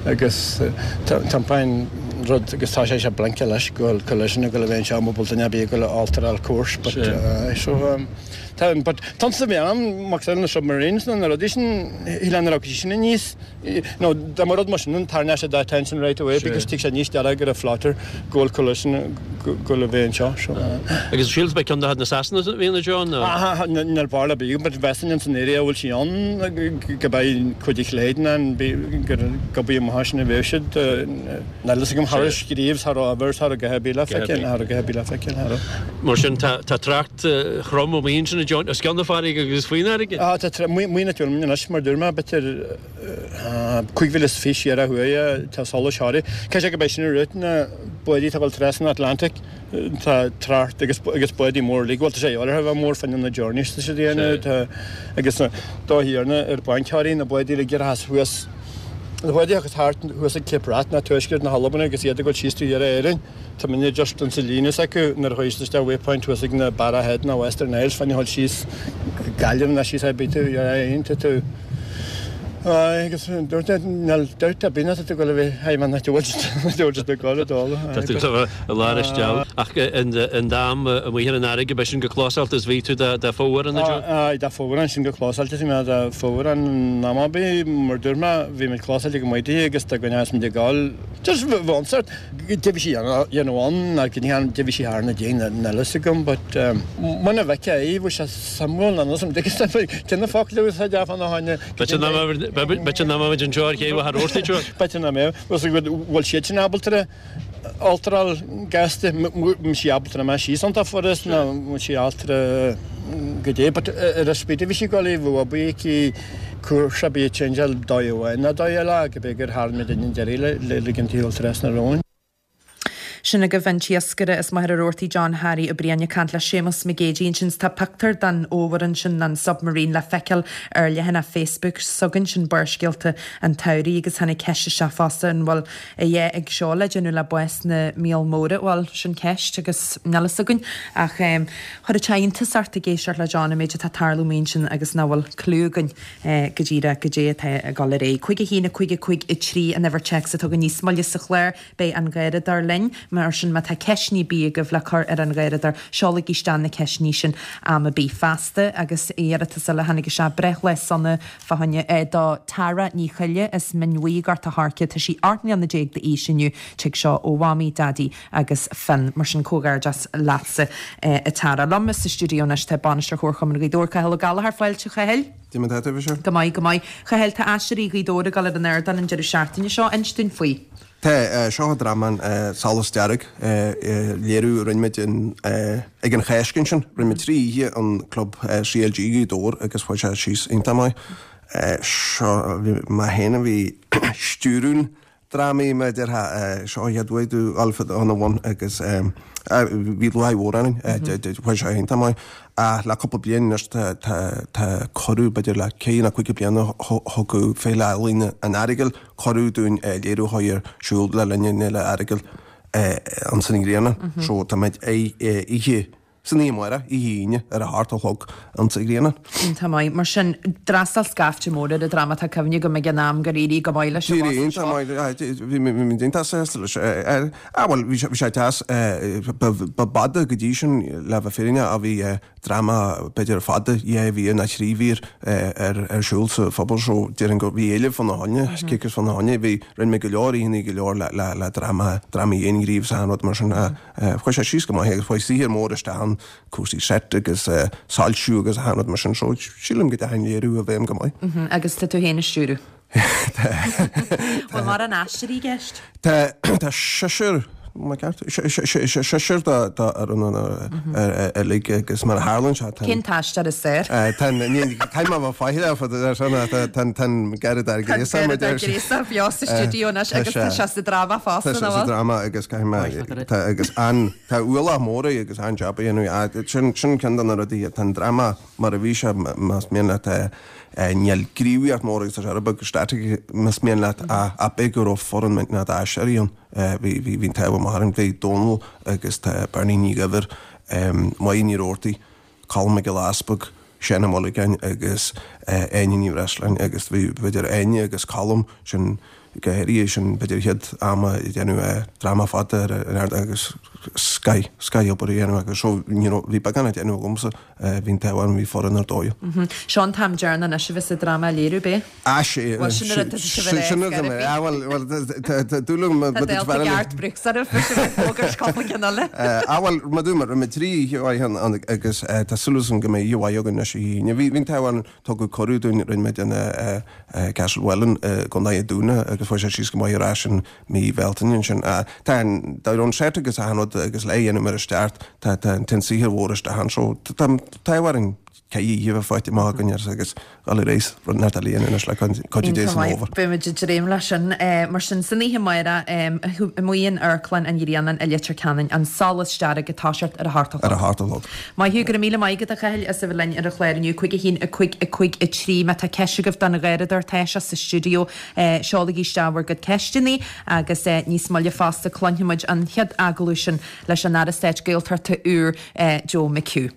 agus tiompáin. rud agus tá sé sé blinking leis go bhfuil collision ag dul a bheith anseo má bhfuil duine ar bith ag dul a alteráil course but so tá but tons a bhí ann mac na submarines nó na rudaí sin shíl an raibh sin aníos nó dá mba rud mar sin an tarraingeodh sé d'attention right away because tig sé níos deara go raibh floater go bhfuil collision go bhfuil a bheith anseo so. Agus sílim beidh ceann de na Sasana a bhíonn anseo nó? Níl barúil ar bith but mheasfainn ins an area a bhfuil sí ann go beidh cuid de Chléid ann gur gobadh amach sin a bheadh siad Níl fhios agam cha raibh scríobh cha raibh ábhar cha raibh a dhath ar bith le feiceáil cha raibh a dhath ar bith le feiceáil cha raibh. Mar sin tá trácht throm amuigh ansin a John os cionn na farraige agus faoin fharraige. Tá tá amuigh na tuairim anois mar dúirt mé b'fhéidir 25,000 siar ó thuaidh tá solais Thoraí. Cé sé go beidh sin i rith na báidí atá ag dul trasna an Atlantic tá trácht agus agus báidí mór uilig bhuel tá sé áirithe a bheith mór fá choinne na journeys tá siad a dhéanamh tá agus na dá thiarna ar bainc Thoraí na báidí uilig ar theas thuas na báidí agus thart thuas ag Cape Wrath ná tuaisceart na hAlban agus iad ag dul síos taobh thiar Éirinn. Tá muidne just insa líne s'acu nuair a chuaigh siad isteach Waypoint thuas ag na Barra Head ná Western Isles fá choinne dhul síos go Gaillimh ná síos ar bith tú ar tá tú Aye agus dúirt mé níl dabht ar bith ná tá tú ag dul a bheith high man ná bhfuil siad ag dul a dul. Tá tú i lár an steall ach an dam amuigh ar an fharraige beidh sin chomh clósáilte is bhí tú dá fomhuireán a John? Aye dá fomhuireán sin chomh clósáilte is bhí mé dá fomhuireán in am ar bith mar dúirt mé bhí muid clósáilte go maith di agus dá gcoinneodh muid ag dul just bheadh an sort Cad a bhí sí a dhéanamh ann ná cad a bhí sí thar na déin níl fhios agam but muna bhfeicfeá é bheadh sé suimiúil ná níl fhios agam cé na focla a úsáidfeá fána choinne. B'fhéidir nach mbeimid anseo ar chéibh a thabhairt duit. B'fhéidir nach mbeadh. Bhfuil bhfuil siad sin ábalta alteráil gasta bhfuil sí ábalta amach síos iontach furast nó bhfuil sí ábalta goidé but ar an speed a bhí sí ag dul í bheadh obair aici cúrsa bíodh changeáil dóigh amháin nó dóigh eile go b'fhéidir gur tharraing muid an deireadh le ligean taobh trasna romhainn. Sin agaibh an t-iascaire as Machaire Rabhartaigh John Harry Ó Briain ag caint le Séamus Mac Géidigh ansin. Tá pictiúr den fhomhuireán sin, an submarine, le feiceáil ar leathanach Facebook s'againn, sin Barrscéalta an tSamhraidh agus tháinig ceist isteach fosta an bhfuil a dhath ag seo le déanamh le bás na míol móire. Bhuel, sin ceist agus níl fhios againn ach chuirfeadh sé iontas ort ag éisteacht le John an méid atá ag tarlú amuigh ansin agus nach bhfuil cliú againn go díreach goidé atá ag dul ar aghaidh. 5 1 5 5 3 an uimhir téacs atá againn níos moille sa chlár. Beidh an Garradóir linn, mar sin má tá ceisteanna ar bith agaibh le cur ar an Gharradóir, seolaigí isteach na ceisteanna sin am ar bith feasta. Agus iarratas eile a tháinig isteach, breithlá sona fá choinne do Tara Ní Choille as Mín Bhuí, Gort a' Choirce. Tá sí 18 mbliana d'aois inniu. Tig seo ó Mhamaí, Daidí agus Finn. Mar sin comhghairdeas leatsa a Tara. Liom sa stiúideo anois tá Bainisteoir Chomharchumann Ghaoth Dobhair, Cathal Ó Gallchóir. Fáilte, a Chathail. Cad é mar atá tú, a Mhichelle? Go maith, go maith. Chathail, tá Aiséirí Ghaoth Dobhair ag dul ar an ardán an deireadh seachtaine seo. Inis dúinn faoi. Tá, seo dráma Solas Dearg, léiriú a rinne muid ag an Cháisc ansin. Rinne muid 3 oíche an club CLG Ghaoth Dobhair agus chuaigh sé síos iontach maith. Seo, mé féin a bhí ag stiúradh an dráma mar a déarfá, seo an chéad uair domh dhul ina bhun agus bhí lúcháir mhór orainn, chuaigh sé iontach maith. Ach le cúpla bliain anois tá cuireadh, b'fhéidir le ceithre nó cúig bliana thug Féile Ealaíne an Earagail cuireadh dúinn léiriú a chur ar siúl le linn an Fhéile Earagail ins an Ghrianán. So tá muid oíche san oíche amárach, oíche Aoine ar a hocht a chlog ins an Ghrianán. Iontach maith. Mar sin, d'fhreastail scaifte mór ar an dráma. Tá cuimhne agam ag an am gur éirigh go maith leis an D'éirigh iontach maith, bhí muid iontach sásta leis. Ah bhuel, bhí sé deas, ba b'fhada go dtí sin le bheith fírinneach a bhí dráma b'fhéidir fada, dhá mhír nó trí mhír ar siúl sa phobal so déarfainn go bhí éileamh fána choinne, cíocras fána choinne, bhí, rinne mé go leor oícheanna go leor le le le dráma, drámaí aonghriofa is achan rud mar sin chuaigh sé síos go maith agus chuaigh saothar mór isteach ann, cúrsaí set agus soilsiú agus achan rud mar sin so sílim go dteachaigh an léiriú i bhfeidhm go maith. Agus tá tú féin ag stiúradh? Bhfuil mórán aisteoirí i gceist? Tá tá seisear má ceart seisear dá dá ar an uilig agus mar a tharlaíonn sé tá Cén t-aisteoir is fearr? Tá caithfidh mé a bheith faichilleach fad ar sin tá tá tá an Garradóir Gréasach Tá Garradóir Gréasach beo sa stiúideo anois agus tá sé sa dráma fosta nach bhfuil? Tá sé sa dráma agus caithfidh mé tá agus an tá ualach mór air agus an-jab a dhéanamh sin sin ceann de na rudaí tá an dráma mar a bhí sé más mian leat Níl gníomhaíocht mór agus tá sé rud beag static más mian leat ach b'é go raibh foireann millteanach d'aisteoirí ann. Bhí bhí bhí an t-ádh amach orainn. Bhí Dónal agus tá Bernie Ní Dhuibhir, Máire Ní Rabhartaigh, Colm Mac Giolla Easpaig, Seán Ó Muilleagáin agus Áine Ní Bhreisleáin agus bhí b'fhéidir Áine agus Colm sin. Go háirithe sin b'fhéidir chéad am a déanamh dráma fada ar an ardán agus scoth, scoth obair a dhéanamh agus so you know bhí beagán á déanamh agamsa, bhí an t-ádh orm, bhí foireann ar dóigh. Seo an t-am deireanach anois a bheas an dráma á léiriú, ab é? Ah sé, Bhuel sin ar a sibh ar sin ar a ah bhuel, bhuel tá dúil agam Tá dálta ag Art Brooks oraibh, bhí sibh ag fógairt cúpla ceann eile. Ah bhuel, mar dúirt mé, rinne mé 3 oíche mhaith ann agus tá súil agam go mbeidh oíche mhaith againn anois oíche Aoine. Bhí an t-ádh orainn, tugadh cuireadh dúinn, rinne muid in Castlewellan i gContae an Dúin agus chuaigh sé síos go maith ar ais in mí Bhealtaine ansin. Tá an dá an set agus achan rud agus le dhéanamh mar is ceart, tá tá an saothar mhór isteach ann so tá an t-ádh orainn ceithre oíche a bheith faighte amach againn agus dhul ar aghaidh rud nach le dhéanamh anois le cuidiú Dé san fhómhar. Beidh muid ag dréim leis sin. Mar sin, san oíche amárach, amuigh in Amharclann an Ghrianáin i Leitir Ceanainn, An Solas Dearg ag toiseacht ar a hocht a chlog. Ar a hocht a chlog. Maith thú, go raibh míle maith agat a Chathail as a bheith linn ar an chlár inniu. 5 1 5 5 3 Má tá ceist agaibh don gharradóir tá sé sa stiúideo, seolaigí isteach bhur gcuid ceisteanna agus níos moille fosta cluinfidh muid an chéad agallamh sin leis an Aire Stáit Gaeltachta úr Joe McHugh.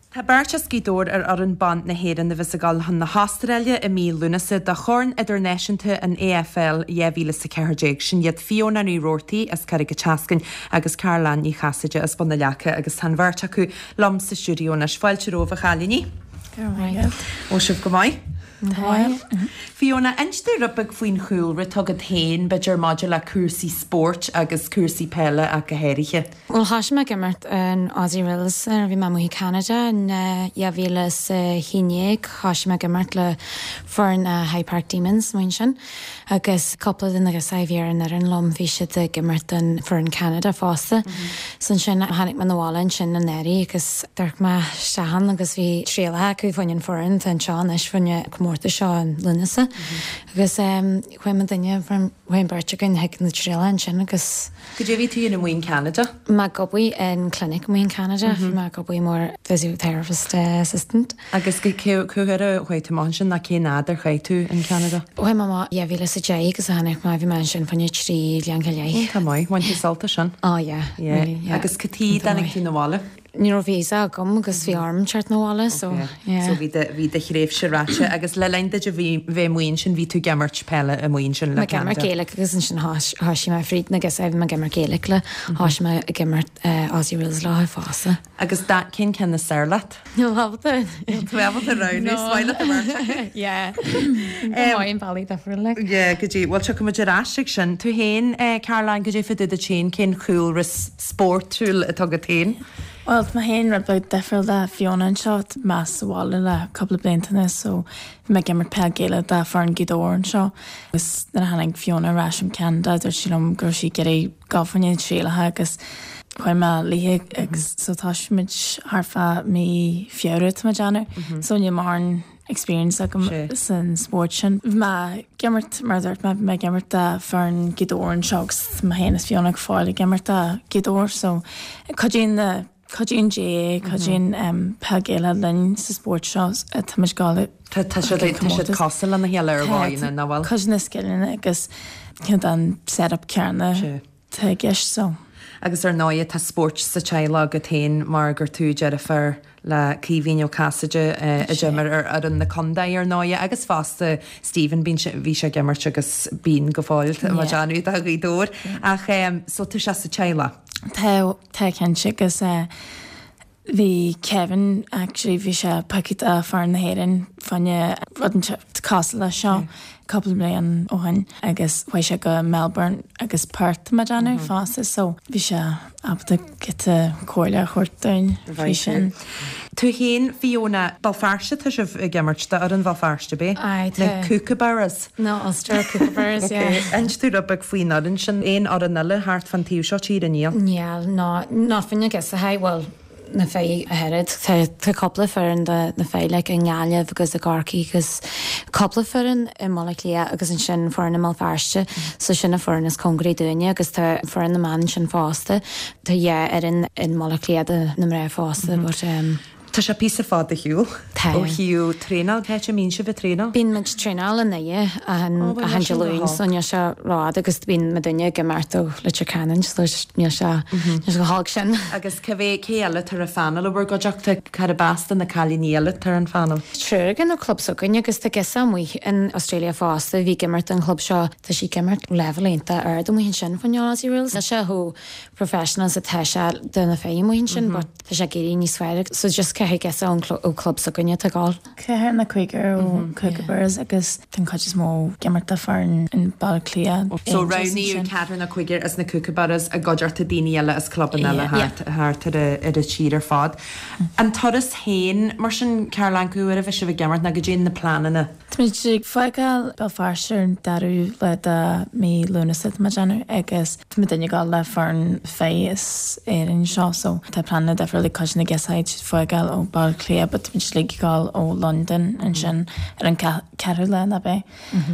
Tá beirt as Gaoth Dobhair ar fhoireann ban na hÉireann a bheas ag dul chun na hAstráile i mí Lúnasa do Chorn Idirnáisiúnta an AFL 2014. Sin iad Fiona Ní Roarty as Carraig an tSeascainn agus Carolanne Ní Chasaide as Bun na Leaca agus tá an bheirt acu liom sa stiúideo anois. Fáilte romhaibh a chailíní. Go raibh maith agat. Bhfuil sibh go maith? Tá. Fiona, inis dúinn rud beag faoin chúlra atá agat féin, b'fhéidir maidir le cúrsaí spóirt agus cúrsaí peile ach go háirithe. Bhuel, thoisigh mé ag imirt in Aussie Rules nuair a bhí mé amuigh i Ceanada in 2011. Thoisigh mé ag imirt le foireann na High Park Demons amuigh ansin agus cúpla de na girseachaí a bhí ar an fhoireann liom, bhí siad ag imirt don foireann Ceanada fosta. So ansin tháinig mé 'na bhaile ansin anuraidh agus d'amharc mé isteach ann agus bhí trialacha acu fá choinne an foireann atá anseo anois fá choinne an comórtas seo in Lúnasa agus chuaigh muidinne, chuaigh an bheirt againn chuig na trialacha ansin agus. Goidé a bhí tú a dhéanamh amuigh in Ceanada? Mé ag obair in clinic amuigh in Ceanada, bhí mé ag obair mar physiotherapist assistant. Agus cá huair a chuaigh tú amach ansin nó cén fhad ar chaith tú in Ceanada? Chuaigh mé amach 2010 agus tháinig mé, bhí mé ansin fá choinne 3 bhliain go leith. Iontach maith, bhain tú sult as sin? Oh yeah, really, yeah. Agus cad chuige a dtáinig tú 'na bhaile? Ní raibh visa agam agus bhí orm teacht 'na bhaile so yeah. So bhí do, bhí do thréimhse ráite agus le linn duit a bhí, bheith amuigh ansin bhí tú ag imirt peile amuigh ansin le Ceanada? Mé ag imirt Gaelic agus ansin thoisigh mé fríd na girseachaí bhí mé ag imirt Gaelic le, thoisigh mé ag imirt Aussie Rules leo fosta. Agus da, cén ceann is fearr leat? Níl mé ábalta. Níl tú ábalta roghnú, is maith leat an bheirt acu. Yeah. Go maith i mbealaí difriúla like. Yeah, goidé, bhuel tiocfaidh muid ar ais ag sin. Tú féin, Caroline, goidé fá dtaobh duit féin, cén chúlra spórtúil atá agat féin? Bhuel, tá mé féin rud beag difriúil le Fiona anseo, tá mé sa bhaile le cúpla blianta anois so bhí mé ag imirt peil Gaelach do foireann Ghaoth Dobhair anseo agus nuair a tháinig Fiona ar ais ón Ceanada dúirt sí liom go raibh sí ag iarraidh gabháil fá choinne na trialacha agus chuaigh mé léi agus so thoisigh muid thart fá mí Feabhra tá mé ag déanamh so níl mórán experience agam san spórt sin. Bhí mé ag imirt mar a dúirt mé bhí mé ag imirt do foireann Ghaoth Dobhair anseo agus mé féin is Fiona go fóill ag imirt do Ghaoth Dobhair so cuidíonn na Cuidíonn GAA, cuidíonn peil Gaelach linn sa spórt seo tá muid ag gabháil Tá tá siad tá siad cosúil lena chéile ar dhóigheanna, nach bhfuil? Cuid de na scileanna agus cineál den set-up céanna atá i gceist so. Agus ar ndóighe tá spórt sa teaghlach agat féin mar gur tú deirfiúr le Caoimhín Ó Casaide a d'imir ar fhoireann na contae ar ndóighe agus fosta Stephen bíonn sé bhí sé ag imirt agus bíonn go fóill má déanamh do Ghaoth Dobhair ach so tá sé sa teaghlach. Tá Tá cinnte agus bhí Kevin actually bhí sé pioctha do foireann na hÉireann fá choinne rud inteacht cosúil leis seo cúpla bliain ó shin agus chuaigh sé go Melbourne agus Perth tá mé ag déanamh fosta so bhí sé ábalta giota comhairle a thabhairt dúinn faoi sin. Tú féin Fiona, Béal Feirste tá sibh ag imirt do fhoireann Bhéal Feirste, ab é? Aye, tá. Na Kookaburras. No, Ulster Kookaburras, yeah. Ok, inis dúinn rud beag faoin fhoireann sin. Aon fhoireann eile thart fán taobh seo tíre? Níl. Níl, no, ná fá na girseachaí, bhuel, na fir ach oiread. Tá, tá cúpla foireann do na fir, like, i nGaillimh agus i gCorcaigh agus cúpla foireann i mBaile Átha Cliath agus ansin foireann i mBéal Feirste. So sin an foireann is cóngaraí dúinne agus tá foireann na mban ansin fosta. Tá dhá fhoireann i mBaile Átha Cliath do na mná fosta but, um. Tá sé píosa fada ar shiúl ó thaobh traenáil. Cá háit a mbíonn sibh ag traenáil? Bíonn muid traenáil i nDoire achan Dé Luain so níl sé rófhada agus bíonn muidinne ag imirt ó Leitir Ceanainn so níl sé níl sé chomh holc sin. Agus cé mhéad cé eile atá ar an phainéal i bhur gcuideachta? Cárb as do na cailíní eile atá ar an phainéal? Triúr againn ó club s'againne agus tá girseach amuigh in Australia fosta a bhí ag imirt don chlub seo. Tá sí ag imirt leibhéal iontach ard amuigh ansin fá choinne Aussie Rules. Níl sé chomh professional is atá sé do na fir amuigh ansin but tá sé ag éirí níos fearr so just ceathrar girseach ón ó club s'againne atá ag gabháil. Ceathrar nó cúigear ó Kookaburras agus tá an chuid is mó ag imirt do foireann in Baile Átha Cliath. So roghnaíodh ceathrar nó cúigear as na Kookaburras i gcuideachta daoine eile as clubanna eile thart thart ar ar an tír ar fad. An turas féin mar sin Caroline cá huair a bheidh sibh ag imirt nó goidé na pleananna? Táimid ag fágáil Béal Feirste ar an dara lá de mí Lúnasa tá mé ag déanamh agus tá muidinne ag gabháil le foireann fir as Éirinn seo so tá pleananna difriúil ag cuid de na girseachaí ag fágáil ó Baile Átha Cliath but táimid uilig ag gabháil ó Londain ansin ar an ceathrú lá nach ea?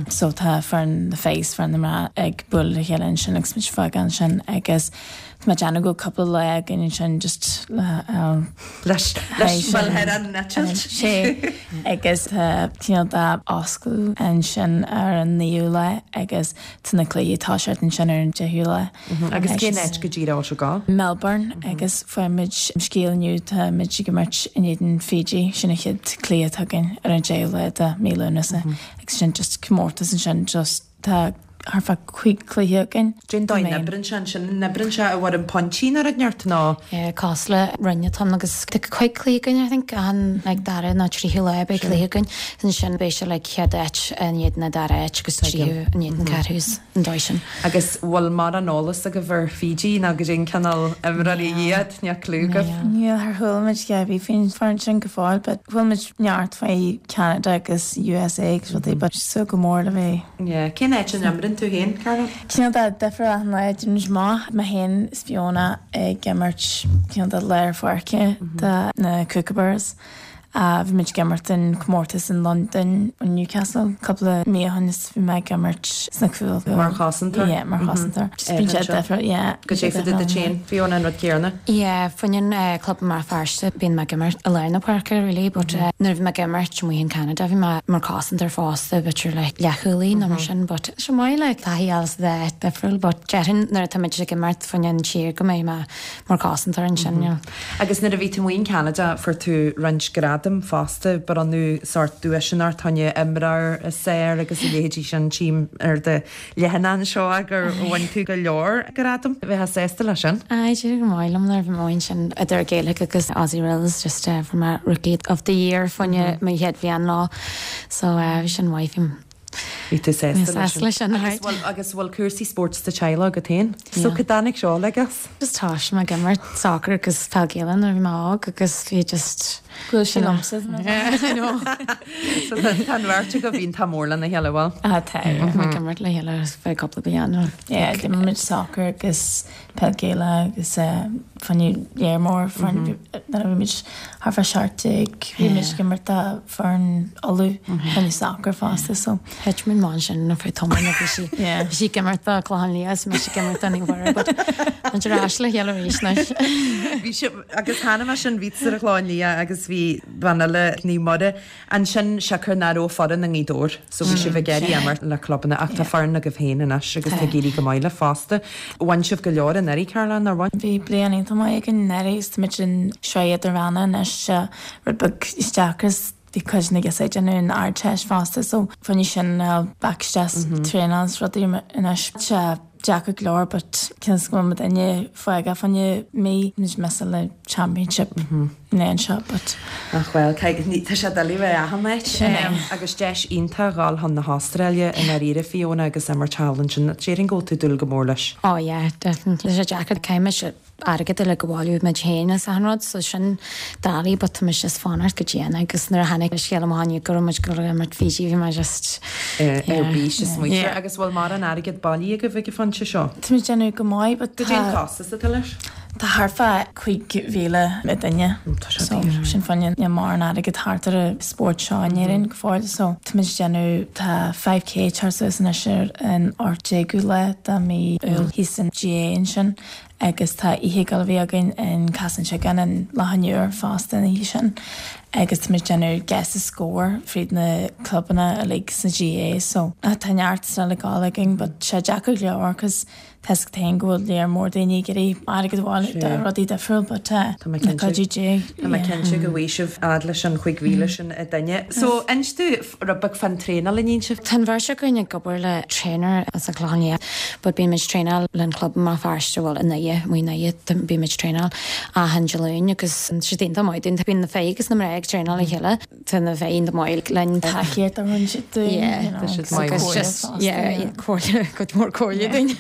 So tá foireann na fir is foireann na mná ag bualadh le chéile ansin agus muid ag fágáil ansin agus Tá mé ag déanamh go bhfuil cúpla lá againn ansin just le leis leis bhuel ar an eitilt. Sé agus tá cineál de oscailt ansin ar an naoú lá agus tá na cluichí ag toiseacht ansin ar an deichiú lá. Agus cén áit go díreach a bhfuil sibh ag gabháil? Melbourne agus fuair muid scéal inniu tá muid ag imirt in éadan Fiji sin an chéad cluiche atá againn ar an deichiú lá de mí Lúnasa agus sin just comórtas ansin just Tá thart fá chúig cluiche againn. Cén dóigh a n-oibríonn sé ansin? An oibríonn sé i bhfoirm pointí nó rud inteacht nó? Yeah, cosúil le roinn atá ann agus tá cúig cluiche againn I think achan like dara nó tríú lá beidh cluiche againn. Ansin beidh sé like chéad áit in éadan an dara áit agus tríú in éadan ceathrú is an dóigh sin. Agus bhfuil mórán eolas agaibh ar Fiji nó goidé an cineál imreoirí iad? Níl clue agaibh? Níl, char chuala muid a dhath ar bith faoin foireann sin go fóill but chuala muid neart faoi Canada agus USA agus rudaí but súil go mór le bheith. Yeah. Cén áit a n-imríonn tú féin, Caroline? Cineál de difriúil achan lá, déanann muid maith, mé féin is Fiona ag imirt cineál de lár pháirce do na Kookaburras. Bhí muid ag imirt in comórtas in Londain, in Newcastle cúpla mí ó shin is bhí mé ag imirt sna cúil. Mar chosantóir? Yeah, mar chosantóir. Just bíonn sé difriúil, yeah. Goidé fá dtaobh duit féin, Fiona, an rud céanna? Yeah, fá choinne club i mBéal Feirste bíonn mé ag imirt i lár na páirce really but nuair a bhí mé ag imirt amuigh in Canada bhí mé mar chosantóir fosta b'fhéidir like leathchúlaí nó mar sin but tá sé maith like taithí a fháil sa dá áit difriúil but déarfainn nuair atá muid ag imirt fá choinne an tír go mbeidh mé mar chosantóir ansin you know. Agus nuair a bhí tú amuigh in Canada fuair tú roinnt gradam fosta, bronnadh sórt duaiseanna ort fá choinne imreoir is fearr agus a leithéidí sin tchím ar do leathanach anseo gur bhain tú go leor gradam. Bheifeá sásta leis sin? Aye, d'éirigh go maith liom nuair a bhí mé ansin idir Gaelic agus Aussie Rules just fuair mé Rookie of the Year fá choinne mo chéad bhliain leo so bhí sin maith bhí Bhí tú sásta leis sin. Agus bhfuil agus bhfuil cúrsaí spóirt sa teaghlach agat féin? So cá dtáinig seo uilig as? Just thosaigh mé ag imirt soccer agus peil Gaelach nuair a bhí mé óg agus bhí just Bhuail sí liomsa. I know. So tá tá an bheirt agaibh iontach mór lena chéile, bhfuil? Ah tá, yeah. Bhí mé ag imirt le chéile ar feadh cúpla bliain. Yeah, d'imir muid soccer agus peil Gaelach agus fá choinne léar mór foireann nuair a bhí muid thart fá 17 bhí muid ag imirt do foireann Uladh fá choinne soccer fosta so. Thit muid amach ansin ar feadh tamaill nó bhí sí bhí sí ag imirt do Clochán Liath is mise ag imirt do Naomh Mhuire but muid ar ais le chéile arís anois. Bhí sibh Agus chonaic mé sin, bhí tusa ar an Chlochán Liath agus bhí bean eile, Naomh Muire, ansin siocair nach raibh foireann i nGaoth Dobhair so bhí sibh ag iarraidh imirt le clubanna ach tá foireann agaibh féin anois agus tá ag éirí go maith libh fosta. Bhain sibh go leor anuraidh, Caroline, nár bhain? Bhí bliain iontach maith againn anuraidh agus táimid in sraith idirmheánach anois, rud beag deacair is bhí cuid de na girseachaí ag déanamh an Ardteist fosta so fá choinne sin back isteach traenáil is rudaí anois. Tá deacair go leor but cionn is go bhfuil muidinne fágáil fá choinne mí muid missáil le championship an bhliain seo but. Ach bhuel, tá sé doiligh bheith achan áit. Sin é. Agus deis iontach a dhul chun na hAstráile i ndáiríre Fiona agus imirt thall ansin. Déarfainn go bhfuil tú ag dúil go mór leis. Oh yeah, definitely. Tá sé deacair, caithfidh mise airgead uilig a bhailiú muid féin is achan rud so sin doiligh but tá mise just fanacht go dian agus nuair a tháinig an scéal amach inniu go raibh muid ag dul ag imirt Fiji bhí mé just ar bís is smaointe agus bhfuil mórán airgead bailithe agaibh ag an phointe seo? Tá muid ag déanamh go maith but tá Goidé an costas atá leis? Tá thart fá 5,000 an duine so sin fá choinne níl mórán airgead thart ar an spórt seo in Éirinn go fóill so tá muid ag déanamh tá 5k ag teacht suas anois ar an 18ú lá de mí Iúil thíos san GAA ansin. Agus tá oíche ag dul a bheith againn in Caisleán Tuireadhán in Loch an Iúir fosta an oíche sin agus tá muid ag déanamh Guess the Score fríd na clubanna uilig sna GAA so tá neart still ag gabháil againn but sé deacair go leor cos tá 'fhios agat féin go bhfuil léar mór daoine ag iarraidh airgead a bhailiú do rudaí difriúil but Tá mé le cuidiú Dé Tá mé cinnte go bhfaighidh sibh fhad leis an 5,000 sin a dhuine. So inis domh rud beag fán traenáil a níonn sibh. Tá an bheirt againn ag obair le trainer as an Chlochán Liath but bíonn muid ag traenáil le an club i mBéal Feirste, bhuel i nDoire, amuigh i nDoire, bíonn muid ag traenáil achan Dé Luain agus tá siad iontach maith dúinn. Bíonn na fir agus na mná ag traenáil le chéile, tá na fir iontach maith linn. Tacaíocht a thugann siad dúinn, you know, Tá siad maith agus just, yeah, comhairle, cuid mhór comhairle dúinn.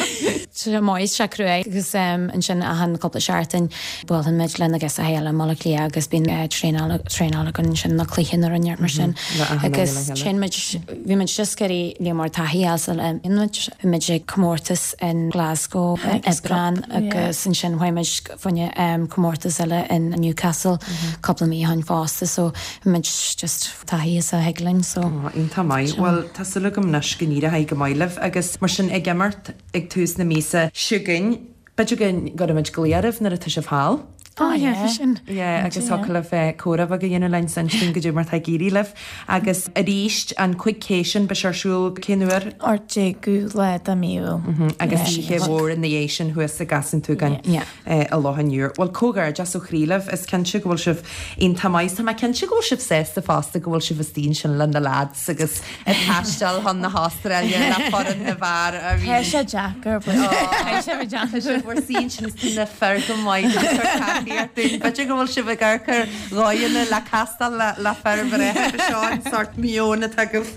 Tá sé maith, tá sé crua agus ansin achan cúpla seachtain Buaileann muid le na girseachaí eile i mBaile Átha Cliath agus bíonn traenáil traenáil againn ansin nó cluiche nó rud mar sin agus téann muid, bhí muid just ag iarraidh níor mór taithí a fháil sula imíonn muid. Bhí muid ag comórtas in Glasgow in Aibreán agus ansin chuaigh muid fá choinne comórtas eile in Newcastle cúpla mí ó shin fosta so bhí muid just taithí is a thig linn so. Iontach maith. Bhuel tá súil agam anois go n-éireoidh go maith libh agus mar sin ag imirt ag tús na míosa chugainn. B'fhéidir go gcuirfimid glaoch oraibh nuair atá sibh thall. Oh yeah, sin. Yeah, agus thiocfadh libh comhrá beag a dhéanamh linn is insint dúinn goidé mar atá ag éirí libh. Agus arís, an 5K sin, beidh sé ar siúl cén uair? 18ú lá de mí Iúil. Agus oíche mhór ina dhiaidh sin thuas i gCaisleán Tuathagáin i Loch an Iúir. Bhuel, comhghairdeas ó chroí libh. Is cinnte go bhfuil sibh iontach maith. Tá mé cinnte go bhfuil sibh sásta fosta go bhfuil sibh istigh ansin le na lads agus ag taisteal chun na hAstráile le foireann na bhfear a bhí. Tá sé deacair but tá sé deacair. Tá sibh bhur suí ansin is tá na fir go maith ag cur tacaíocht dúinn. B'fhéidir go bhfuil sibh ag amharc ar dhóigheanna le castáil le fir bhreátha go seo an sórt meon atá agaibh.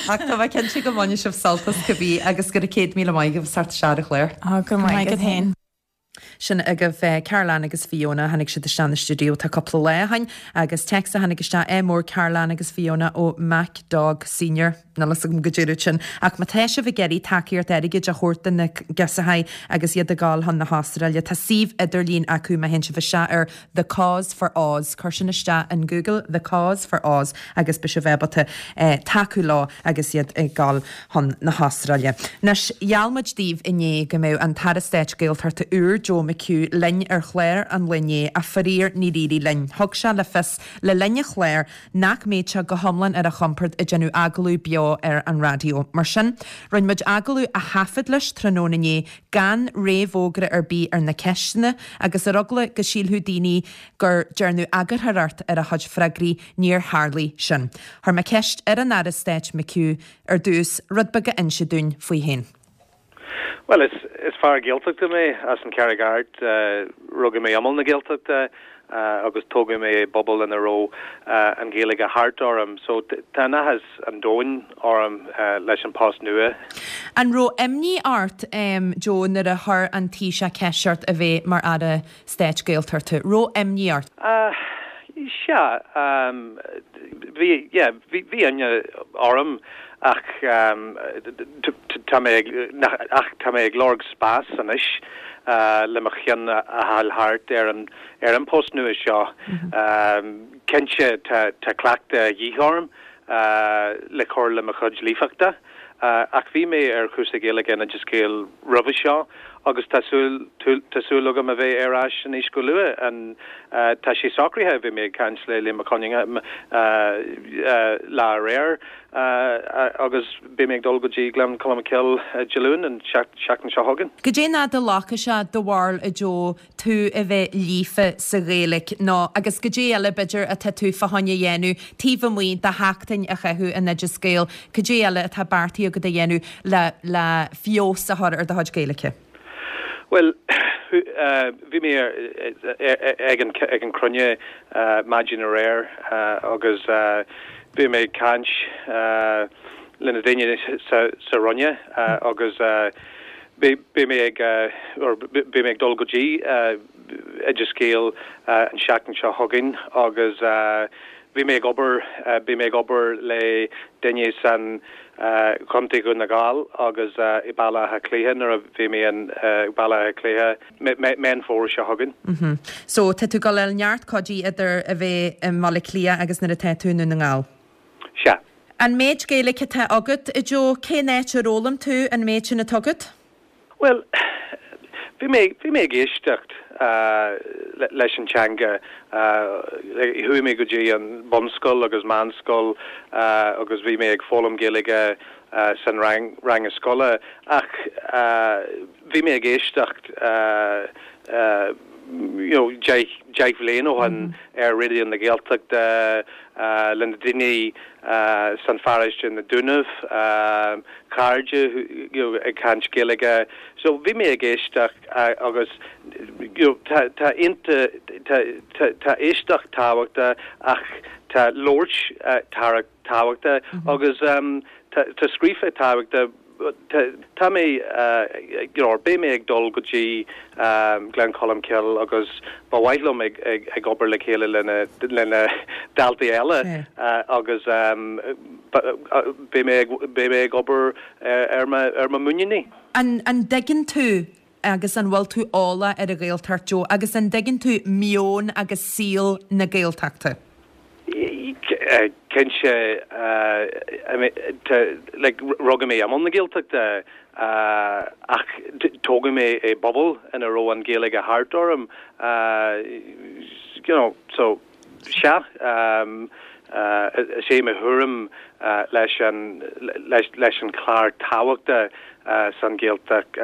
Ach tá mé cinnte go mbainfidh sibh sult as cibé agus go raibh 100,000 maith agaibh as teacht isteach ar an chlár. Go raibh maith agat féin. Sin agaibh Carol-Anne agus Fiona. Tháinig siad isteach na stiúideo tá cúpla lá ó shin agus téacs a tháinig isteach, ádh mór Carol-Anne agus Fiona ó Mac Dog Senior. Níl fhios agam goidé rud sin. Ach má tá sibh ag iarraidh tacaíocht airgid a thabhairt do na girseachaí agus iad ag gabháil chun na hAstráile, tá suíomh idirlín acu má théann sibh isteach ar The Cause for Oz. Cuir sin isteach in Google, The Cause for Oz agus beidh sibh ábalta tacú leo agus iad ag gabháil chun na hAstráile. Anois, gheall muid daoibh inné go mbeadh an tAire Stáit Gaeltachta úr, Joe McHugh, linn ar chlár an lae inné ach faraor níor éirigh linn. Thug sé le fios le linn an chláir nach mbeadh sé go hiomlán ar a chompord ag déanamh agallamh beo ar an raidió. Mar sin, rinne muid agallamh a thaifead leis tráthnóna inné gan réamhfhógra ar bith ar na ceisteanna agus ar eagla go sílfeadh daoine gur dearnadh eagarthóireacht ar a chuid freagraí, níor tharlaigh sin. Chuir mé ceist ar an Aire Stáit McHugh ar dtús rud beag a inse dúinn faoi féin. Bhuel, is is fear Gaeltachta mé as an Charraig Airt. Rugadh mé imeall na Gaeltachta agus tógadh mé i bpobal ina raibh an Ghaeilge thart orm. So tá an áthas an domhain orm leis an post nua. An raibh imní ort, Joe, nuair a chuir an Taoiseach ceist ort a bheith mar Aire Stáit Gaeltachta? Raibh imní ort? Sea, bhí, yeah, bhí, bhí imní orm ach tá mé ag, ach tá mé ag lorg spás anois le mo cheann a fháil thart ar an, ar an post nua seo. Cinnte tá, tá cleachtadh a dhíth orm le cur le mo chuid líofachta. Ach bhí mé ar chúrsa Gaeilge in Oideas Gael roimhe seo agus tá súil tá súil agam a bheith ar ais anois go luath. An tá sé socraithe, bhí mé ag caint le Liam Mac Con Iomaire lá aréir agus beidh mé ag dul go dtí Gleann Cholm Cille Dé Luain an seachtain seo chugainn. Goidé an fhad a ghlacfaidh sé do bharúil a Joe tú a bheith líofa sa Ghaeilge nó agus goidé eile b'fhéidir atá tú fá choinne a dhéanamh taobh amuigh de sheachtain a chaitheamh in Oideas Gael, goidé eile atá beartaithe agat a dhéanamh le le feabhas a chur ar do chuid Gaeilge? Bhuel, bhí mé ag an ag an cruinniú maidin aréir agus bhí mé ag caint le na daoine sa sa Roinn agus Beidh mé ag, or beidh mé ag dul go dtí Oideas Gael an seachtain seo chugainn agus bhí mé ag obair, beidh mé ag obair le duine san Chontae Dhún na nGall agus i Baile Átha Cliath nuair a bheidh mé in Baile Átha Cliath Meán Fómhair seo chugainn. So tá tú ag dul a fháil neart cuidí idir a bheith i mBaile Átha Cliath agus nuair atá tú i nDún na nGall. Sea. An méid Gaeilge atá agat, a Joe, cén áit ar fhoghlaim tú an méid sin atá agat? Bhuel, Bhí mé, bhí mé ag éisteacht leis an teanga. Chuaigh mé go dtí an bunscoil agus meánscoil agus bhí mé ag foghlaim Gaeilge san rang, ranga scoile ach bhí mé ag éisteacht you know deich, deich bhliain ó shin ar Raidió na Gaeltachta le na daoine san pharóiste na Dúnaibh, cairde you know ag caint Gaeilge. So bhí mé ag éisteacht agus you know tá tá ionta tá tá tá éisteacht tábhachtach ach tá labhairt tábhachtach agus tá tá scríofa tábhachtach tá tá mé you know beidh mé ag dul go dtí Gleann Cholm Cille agus ba mhaith liom ag ag ag obair le chéile le na le na daltaí eile agus beidh mé ag beidh mé ag obair ar mo ar mo mhuiníní. An dtuigeann tú agus an bhfuil tú eolach ar an Ghaeltacht, Joe, agus an dtuigeann tú meon agus saol na Gaeltachta? Cinnte, like, rugadh mé i mbun na Gaeltachta ach tógadh mé i bpobal ina raibh an Ghaeilge thart orm, you know, so. Sea, is é mo thuairim leis an leis an chlár tábhachtach san Ghaeltacht,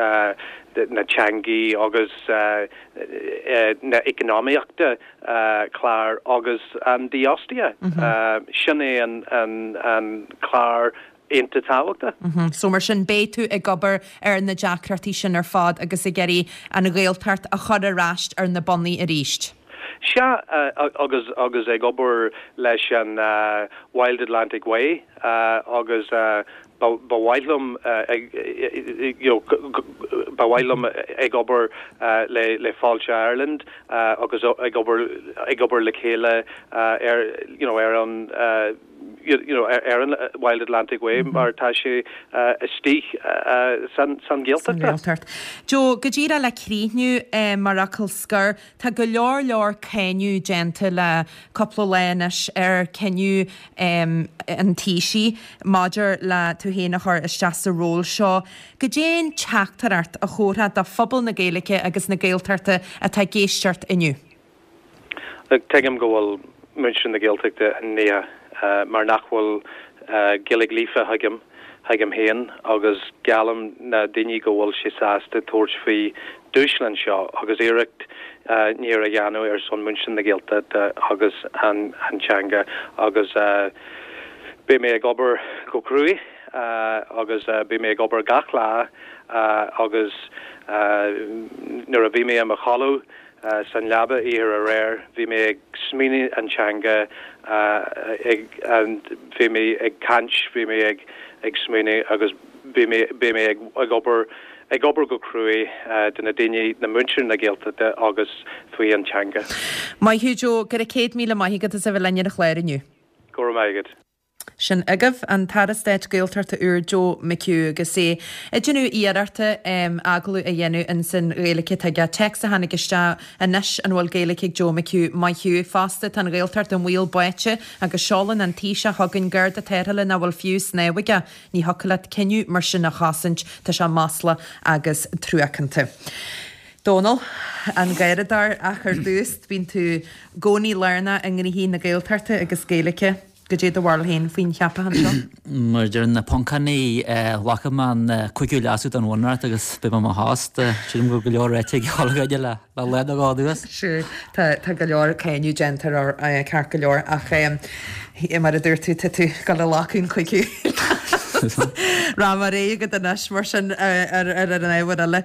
na teangaí agus na economaíochta clár agus an dífhostaíocht. Sin é an clár iontach tábhachtach. So mar sin beidh tú ag obair ar na deacrachtaí sin ar fad agus ag iarraidh an Ghaeltacht a chur ar ais ar na bonnaí arís. Sea, agus agus ag obair leis an Wild Atlantic Way agus ba mhaith liom you know ba mhaith liom ag obair le le Fáilte Ireland agus ag obair ag obair le chéile ar you know ar an you know, ar an Wild Atlantic Way mar tá sé istigh san Ghaeltacht. Ghaeltacht. Joe, go díreach le críochnú mar fhocal scoir, tá go leor leor cáineadh déanta le cúpla lá anois ar cinneadh an Taoisigh maidir le tú féin a chur isteach sa ról seo. Goidé an teachtaireacht a thabharfá do phobal na Gaeilge agus na Gaeltachta atá ag éisteacht inniu? Look, tuigim go bhfuil muintir na Gaeltachta imníoch mar nach bhfuil Gaeilge líofa agam, agam féin agus geallaim na daoine go bhfuil sé sásta tabhairt faoi dúshlán seo agus iarracht níor a dhéanamh ar son muintir na Gaeltachta agus an teanga agus beidh mé ag obair go cruaidh agus beidh mé ag obair gach lá agus nuair a bhí mé i mo chodladh San leaba oíche aréir bhí mé ag smaoineamh an teanga ag bhí mé ag caint bhí mé ag ag smaoineamh agus bhí mé beidh mé ag ag obair ag obair go cruaidh do na daoine na muintir na Gaeltachta agus faoi an teanga. Maith thú Joe, go raibh 100,000 maith agat as a bheith linn ar an chlár inniu. Go raibh maith agat. Sin agaibh an tAire Stáit Gaeltachta úr Joe McHugh agus é ag déanamh iarrachta agallamh a dhéanamh insan Ghaeilge atá aige. Téacs a tháinig isteach anois an bhfuil Gaeilge ag Joe McHugh? Maith thú. Fosta tá an Ghaeltacht i mbaol báite agus seolann an Taoiseach chugainn Garda tarrthála nach bhfuil fiú snámh aige. Ní thiocfadh leat cinneadh mar sin a chosaint, tá sé maslach agus truacánta. Dónal, an Garradóir ach ar dtús bíonn tú i gcónaí lárnach i ngnoithí na Gaeltachta agus Gaeilge. Goidé do bharúil féin faoin cheapachán seo? Mar a deir na Poncánaigh, glacfaidh mé an cúigiú leasú don Bhunreacht agus beidh mé i mo thost. Sílim go bhfuil go leor ráite ag chuile dhuine le lá nó dhó anuas. Sure, tá tá go leor cáineadh déanta air ceart go leor ach mar a dúirt tú, tá tú ag dul a ghlacadh an cúigiú leasú. Rachaidh mé ar aghaidh agat anois mar sin ar ar an ábhar eile.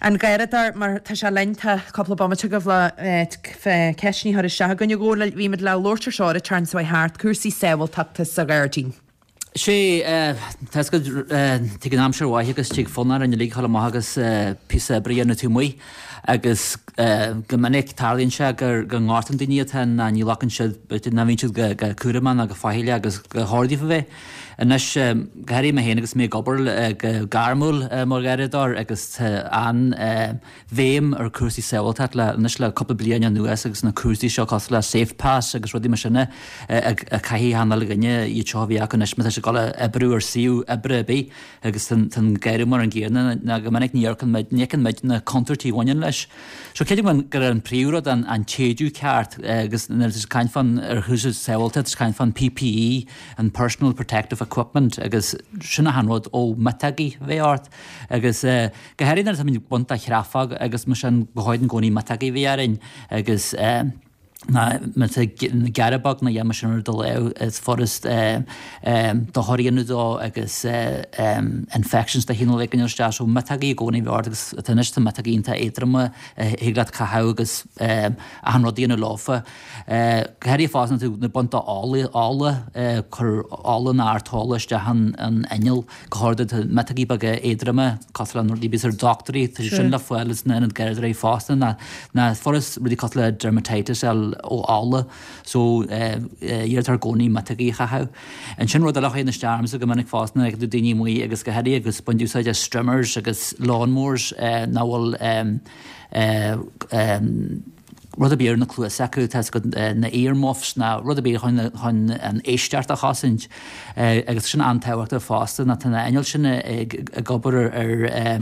An Garradóir, mar tá sé linn, tá cúpla bomaite agaibh le ceisteanna a chur isteach againn. A Dhónaill, bhí muid le labhairt ar seo ar an tseachtain seo thart, cúrsaí sábháilteachta sa ghairdín. Sé, tá a fhios agat, tig an aimsir mhaith agus tig fonn orainn uilig a dhul amach agus píosa oibre a dhéanamh taobh amuigh agus go minic tarlaíonn sé gur go ngortaíonn daoine iad féin ná ní ghlacann siad, b'fhéidir ná bhíonn siad go cúramach ná go faichilleach agus gur chóir daofa bheith. Anois, go háirithe mé féin agus mé ag obair go gairmiúil mar gharradóir agus tá an-bhéim ar chúrsaí sábháilteachta le anois le cúpla bliain anuas agus na cúrsaí seo cosúil le Safe Pass agus rudaí mar sin a chaithfidh achan uile dhuine iad seo a bheith acu anois má tá siad. ag dul a oibriú ar suíomh oibre ar bith agus tá an gearradh mar an gcéanna ná go minic ní amharcann muid, ní fheiceann muid na contúirtí a bhaineann leis. So creidim gur an príomhrud an an t-éidiú ceart agus nuair atá caint fán ar chúrsaí sábháilteachta tá caint fán PPE, an Personal Protective Equipment agus sin achan rud ó miotógaí a bheith ort agus go háirithe nuair atáimid ag baint de chreafóg agus mar sin ba chóir i gcónaí miotógaí a bheith orainn agus ná má tá gearradh beag nó a dhath mar sin ar do lámh is furast dochar a dhéanamh dó agus infections de chineál éigin isteach so miotógaí i gcónaí a bheith ort agus tá anois tá miotógaí iontach éadroma a thig leat caitheamh agus achan rud a dhéanamh leofa. Go háirithe fosta nuair tú ag baint de ola, ola, cur ola nó artola isteach an inneall. Go háirithe tá miotógaí beaga éadroma, cosúil le na rudaí a bhíos ar dochtúirí, tá sé sin le fáil sna ionaid garraíodóirí fosta, ná ná furast rudaí cosúil le dermatitis a fháil ó ola, so iarrtar i gcónaí miotógaí a chaitheamh. Ansin rud eile a chuireann isteach ormsa go minic fosta nuair a fheiceann tú daoine amuigh agus go háirithe agus baint úsáid as strimmers agus lawnmowers nach bhfuil rud ar bith ar na cluasa acu, tá a fhios agat na ear muffs ná rud ar bith chun chun an éisteacht a chosaint agus sin an-tábhachtach fosta ná tá na innill sin ag ag obair ar ar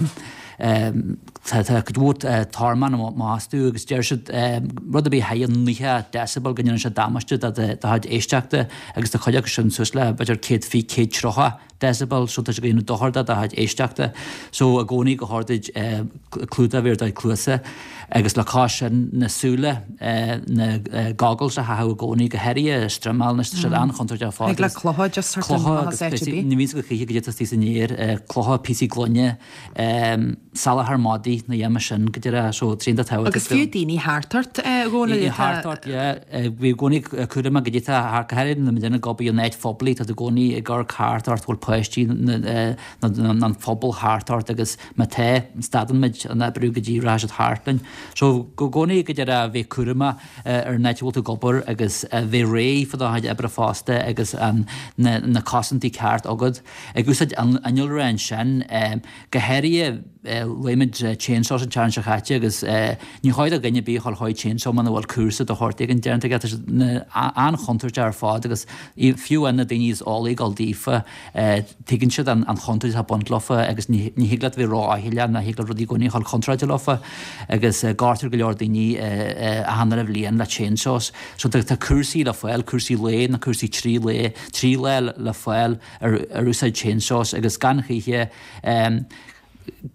tá tá cuid mhór tormán amach astu agus deir siad rud ar bith thar 90 decibel go ndéanann sé damáiste do do chuid éisteachta agus tá cuid acu sin suas le b'fhéidir 120, 130. decibel so tá sé ag déanamh dochar do do chuid éisteachta so i gcónaí ba chóir duit clúdach a bheith ar do chuid cluasa agus le cois sin na súile na goggles a chaitheamh i gcónaí go háirithe strimeáil anois tá siad an-chontúirteach ar fad Thig le clocha just thart clocha agus píosaí ní bhíonn go cíche go dtí san aer clocha píosaí gloine salachar madaidh na dhéanamh sin go deireadh so tríonta tábhachtach. Agus fiú daoine thart ort, a Dhónaill, atá. Thart ort, yeah. Bí i gcónaí cúramach go dtí tá thart, go háirithe nuair a bhíonn ag obair in áit phoiblí, tá tú i gcónaí ag amharc thart ort, bhfuil páistí nó an phobal thart ort agus má tá, stadann muid an oibriú go dtí rachaidh siad thart linn. So i gcónaí go deireadh bheith cúramach ar an áit a bhfuil tú ag obair agus bheith réidh fá do chuid oibre fosta agus na cosaintí ceart agat. Ag úsáid innealra ansin, go háirithe luaigh muid chainsaws an tseachtain seo chaite agus ní chóir do dhuine ar bith a dhul chuig chainsaw muna bhfuil cúrsa de shórt éigin déanta aige. Tá siad an-chontúirteach ar fad agus fiú amháin na daoine is eolaí ag dul daofa, tuigeann siad an chontúirt atá ag baint leofa agus ní thig leat a bheith ró-fhaichilleach ná thig leat rudaí i gcónaí a dhul contráilte leofa agus gortaítear go leor daoine achan uile bhliain le chainsaws. So tá cúrsaí le fáil, cúrsaí lae nó cúrsaí 3 lae, 3 lá le fáil ar úsáid chainsaws agus gan choíche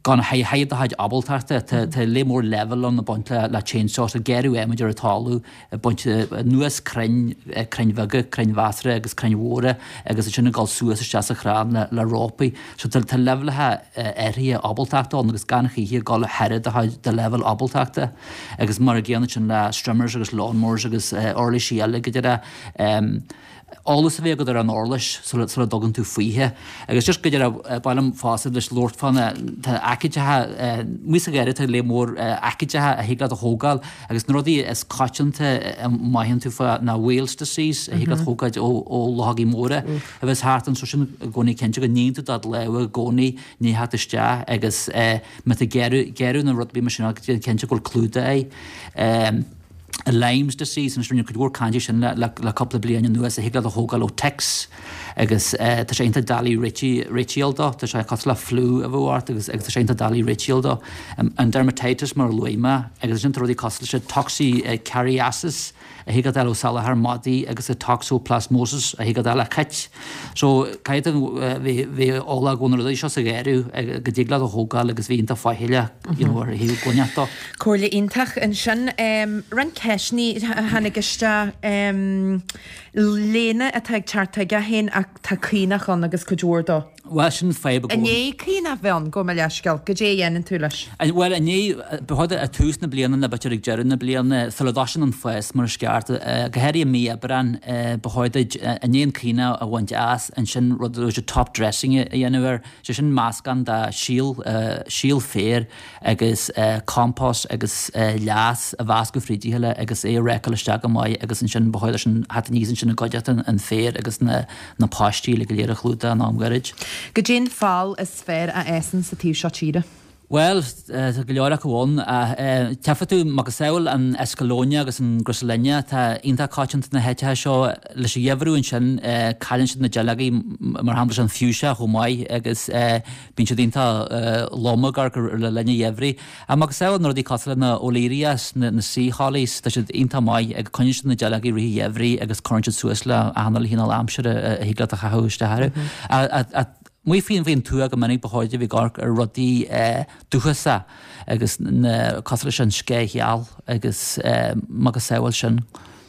gan thar do chuid ábaltachta. Tá lear mór leibhéal ann ag baint le chainsaws, ag gearradh adhmaid ar an talamh, ag baint anuas crainn, crainn bheaga, crainn mheasartha agus crainn mhóra agus ansin ag dul suas isteach sa chrann le rópaí. So tá leibhéalacha áirithe ábaltachta ann agus gan choíche dul thar do chuid do leibhéal ábaltachta. Agus mar an gcéanna sin le strimmers agus lawnmowers agus uirlisí eile go deireadh. Eolas a bheith agat ar an uirlis sula dtugann tú fúithi. Agus just go deireadh, ba mhaith liom fosta leis labhairt fá na, tá aicídeacha, amuigh sa gharraí tá lear mór aicídeacha a thig leat a thógáil agus na rudaí is coitianta a mothaíonn tú fá ná Weil's disease a thig leat thógáil ó ó luchógaí móra a bheas thart anso sin i gcónaí cinnte go níonn tú do lámha i gcónaí i ndiaidh theacht isteach agus má tá gearradh gearradh nó rud ar bith mar sin déan cinnte go bhfuil clúdach air. Lyme's disease, anois rinneadh cuid mhór cainte sin le cúpla bliain anuas, a thig leat a thógáil ó ticks agus tá sé iontach doiligh réitíl dó, tá sé cosúil le fliú a bheadh ort agus tá sé iontach doiligh réitíl dó. An dermatitis mar a luaigh mé agus ansin tá rudaí cosúil leis an toxocariasis, a thig leat a fháil ó salachar madaidh agus an toxoplasmosis a thig leat a fháil ó chait. So caithfidh tú bheith eolach go bhfuil na rudaí seo sa gharraí go dtig leat a thógáil agus bheith iontach faichilleach you know ar thaobh goineach dó. Comhairle iontach ansin. Roinnt ceisteanna a tháinig isteach. Léine atá ag teacht chuige féin ach tá caonach ann agus cuid mhór dó. Bhuel, sin fadhb i gcónaí. I ndiaidh caonach bheith ann, gabh mo leithscéal, goidé a dhéanann tú leis? Bhuel, i ndiaidh, ba chóir ag tús na bliana nó b'fhéidir ag deireadh na bliana, sula dtosaíonn an fás mar is ceart, go háirithe i mí Aibreáin, ba chóir duit i ndiaidh an caonach a bhaint as, ansin rud a top dressing a dhéanamh air, sé sin meascán de shíol, síol féir agus compost agus leas a mheascadh fríd a chéile agus é a rácáil isteach go maith agus ansin ba chóir leis an theacht aníos ansin i gcuideachta an féir agus na na paistí le go léir a chlúdach in am gairid. Goidé an feoil is fearr a fhásann sa taobh seo tíre? Bhuel, tá go leor acu ann. Tchífidh tú macasamhail an Escallonia agus an Griselinia atá iontach coitianta na háiteacha seo. Leis an gheimhreadh ansin, cailleann siad na duilleogaí, mar shampla leis an fuchsia chomh maith agus bíonn siad iontach lom ag amharc le linn an gheimhridh. Ach macasamhail na rudaí cosúil le na Olearias, na sea hollies, tá siad iontach maith ag coinníonn siad na duilleogaí i rith an gheimhridh agus cuireann siad suas le achan uile chineál aimsire a thig leat a chaitheamh isteach orthu. Amuigh faoin tuath go minic ba chóir duit a bheith ag amharc ar rudaí dúchasacha agus na cosúil leis an sceich gheal agus macasamhail sin.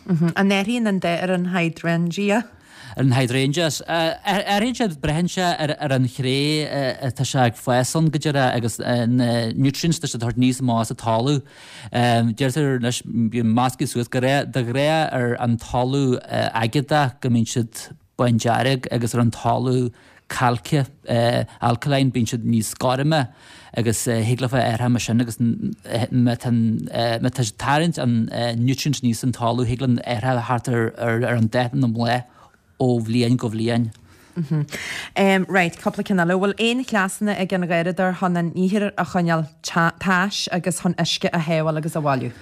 An athraíonn an dath ar an hydrangea? Ar an hydrangeas. Athraíonn sé, braitheann sé ar an chré atá sé ag fás ann go díreach agus na nutrients atá siad a thabhairt aníos amach as an talamh. Deirtear anois, bíonn measctha suas go de ghnáth ar an talamh aigéadach go mbíonn siad bándearg agus ar an talamh cailce, alkaline, bíonn siad níos gorma agus thig leofa athrú mar sin agus má tá má tá siad ag tarraingt an nutrients aníos ón talamh thig leo athrú a theacht ar an dath na mbláth ó bhliain go bhliain. Right, cúpla ceann eile. Bhfuil aon chleasanna ag an gharradóir chun an ithir a choinneáil tais agus chun uisce a shábháil agus a bhailiú?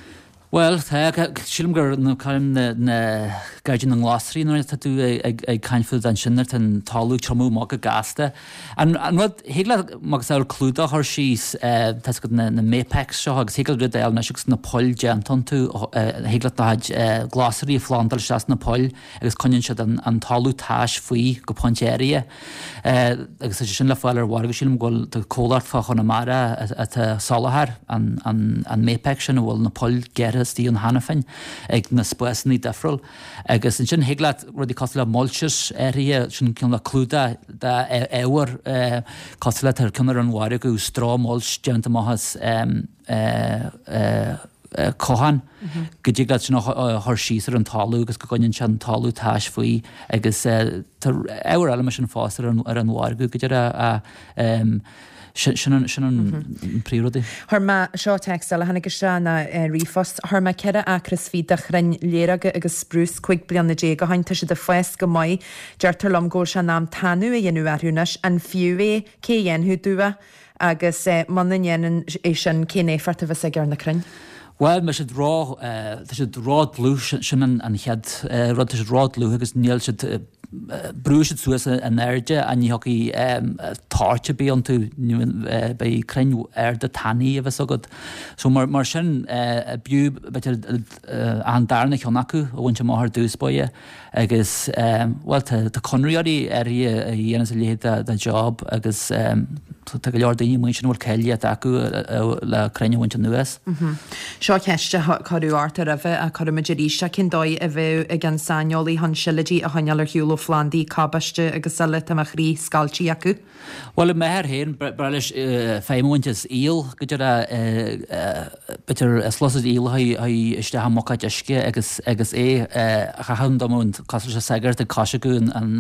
Bhuel, tá, sílim gur na na gairdín na nglasraí nuair atá tú ag caint fúthu ansin nuair atá an talamh ag tiomú amach go gasta. An rud, thig leat macasamhail clúdach a chur síos, tá a fhios agat na na Mapex seo agus thig leat rud a fháil anois agus na poill déanta iontu, thig leat do chuid glasraí a phlandáil isteach sna poill agus coinníonn siad an talamh tais faoi go pointe áirithe. Agus tá sé sin le fáil ar mhargadh, sílim go bhfuil tá comhlacht fá Chonamara atá ag soláthar an Mapex sin a bhfuil na poill gearrtha istigh ann cheana féin ag na spásanna difriúil. Agus ansin thig leat rudaí cosúil le mulches áirithe, sin cineál clúdach d'ábhar cosúil le tá ceann ar an mhargadh straw mulch déanta amach as cochán, go dtig leat sin a chur síos ar an talamh agus go gcoinníonn sé an talamh tais faoi agus tá ábhar eile mar sin fosta ar an mhargadh go deireadh sin an sin an príomhrud. Chuir mé, seo téacs eile a tháinig isteach ná ríomhphost, chuir mé 4 acra is fiche de chrainn léireoga agus sprús 15 bliana ó shin, tá siad ag fás go maith. Deirtear liom go bhfuil sé in am tanú a dhéanamh orthu anois, an fiú é? Cé a dhéanfadh domh é? Agus muna ndéanann é sin, cén éifeacht a bheas aige ar na crainn? Bhuel, tá siad ró, tá siad ró-dlúth, sin an chéad rud, tá siad ró-dlúth agus níl siad, brúfaidh siad suas in airde ach ní thiocfaidh toirt ar bith iontu, beidh crainn arda tanaí a bheas agat. So mar sin, b'fhiú, b'fhéidir, an darna ceann acu a bhaint amach ar dtús báire. Agus, bhuel, tá conraitheoirí áirithe a dhéanas a leithéid de job agus tá go leor daoine amuigh ansin a bhfuil cáilíocht acu le crainn a bhaint anuas. Seo ceist a cuireadh ort roimhe ach cuirfimid arís í. Cén dóigh a bheadh ag an saineolaí chun sileoidí a choinneáil ar shiúl ó phlandaí cabáiste agus eile? Tá mo chroí scailte acu. Bhuel, i m'athair féin, b'fhearr leis feidhm a bhaint as aol, go deire, b'fhéidir sluasaid aoil a shuí isteach i mbuicéad uisce agus agus é a chaitheamh dá mbeadh cosúil leis an sagart ag coisriceadh an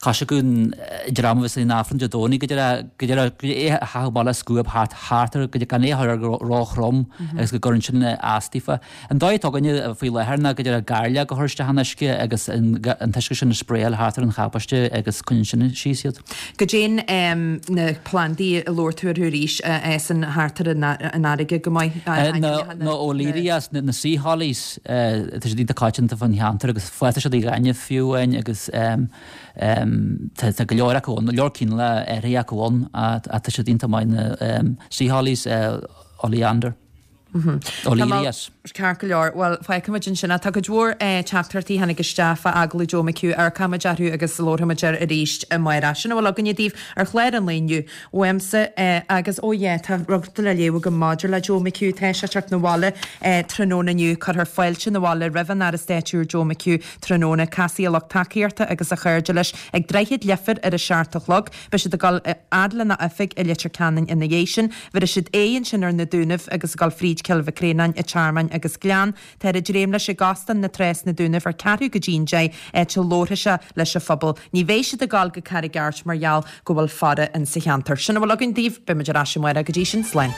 coisriceadh an dream a bheas in Aifreann Dé Domhnaigh, go deire, go deire, é a chaitheamh amach le scuab thart thart air, go gan é a chur air go ró-throm agus go gcuireann sin astaíofa. An dóigh atá againne faoi láthair ná go deire gairleog a chur isteach in uisce agus an t-uisce sin a spraeáil thart ar an chabáiste agus coinníonn sin síos iad. Goidé na plandaí a labhair tú orthu arís a fhásann thart ar an fharraige go maith? Na Olearias, na sea hollies, tá siad iontach coitianta fán cheantar agus fásann siad i ngaineamh fiú amháin agus tá go leor acu ann, go leor cineálacha áirithe acu ann ach tá siad iontach maith na sea hollies, oleander. Olearias. Ceart go leor. Bhuel, fágfaimid ansin é. Tá cuid mhór teachtaireachtaí a tháinig isteach fá agallamh Joe McHugh. Amharcfaimid orthu agus labharfaimid air arís amárach. Sin a bhfuil againne daoibh ar chlár an lae inniu uaimse agus, oh yeah, tá rud le léamh agam maidir le Joe McHugh. Tá sé ag teacht 'na bhaile tráthnóna inniu. Cuirfear fáilte 'na bhaile roimh an Aire Stáit úr Joe McHugh tráthnóna. Casfaidh a lucht tacaíochta agus a chairde leis ag Droichead Leifir ar a seacht a chlog. Beidh siad ag dul a fhad lena oifig i Leitir Ceanainn ina dhiaidh sin. Bhéarfaidh siad aghaidh ansin ar na Dúnaibh agus ag dul fríd Cill Mhic Réanáin, an Tearmann agus Gleann. Táthar ag dréim leis ag Óstán na Trá sna Dúnaibh ar ceathrú go dtí'n deich, áit a labharfaidh sé leis an phobal. Ní bheidh siad ag dul go Carraig Airt mar gheall go bhfuil faire in sa cheantar. Sin a bhfuil againn daoibh. Beidh muid ar ais amárach. Go dtí sin, slán.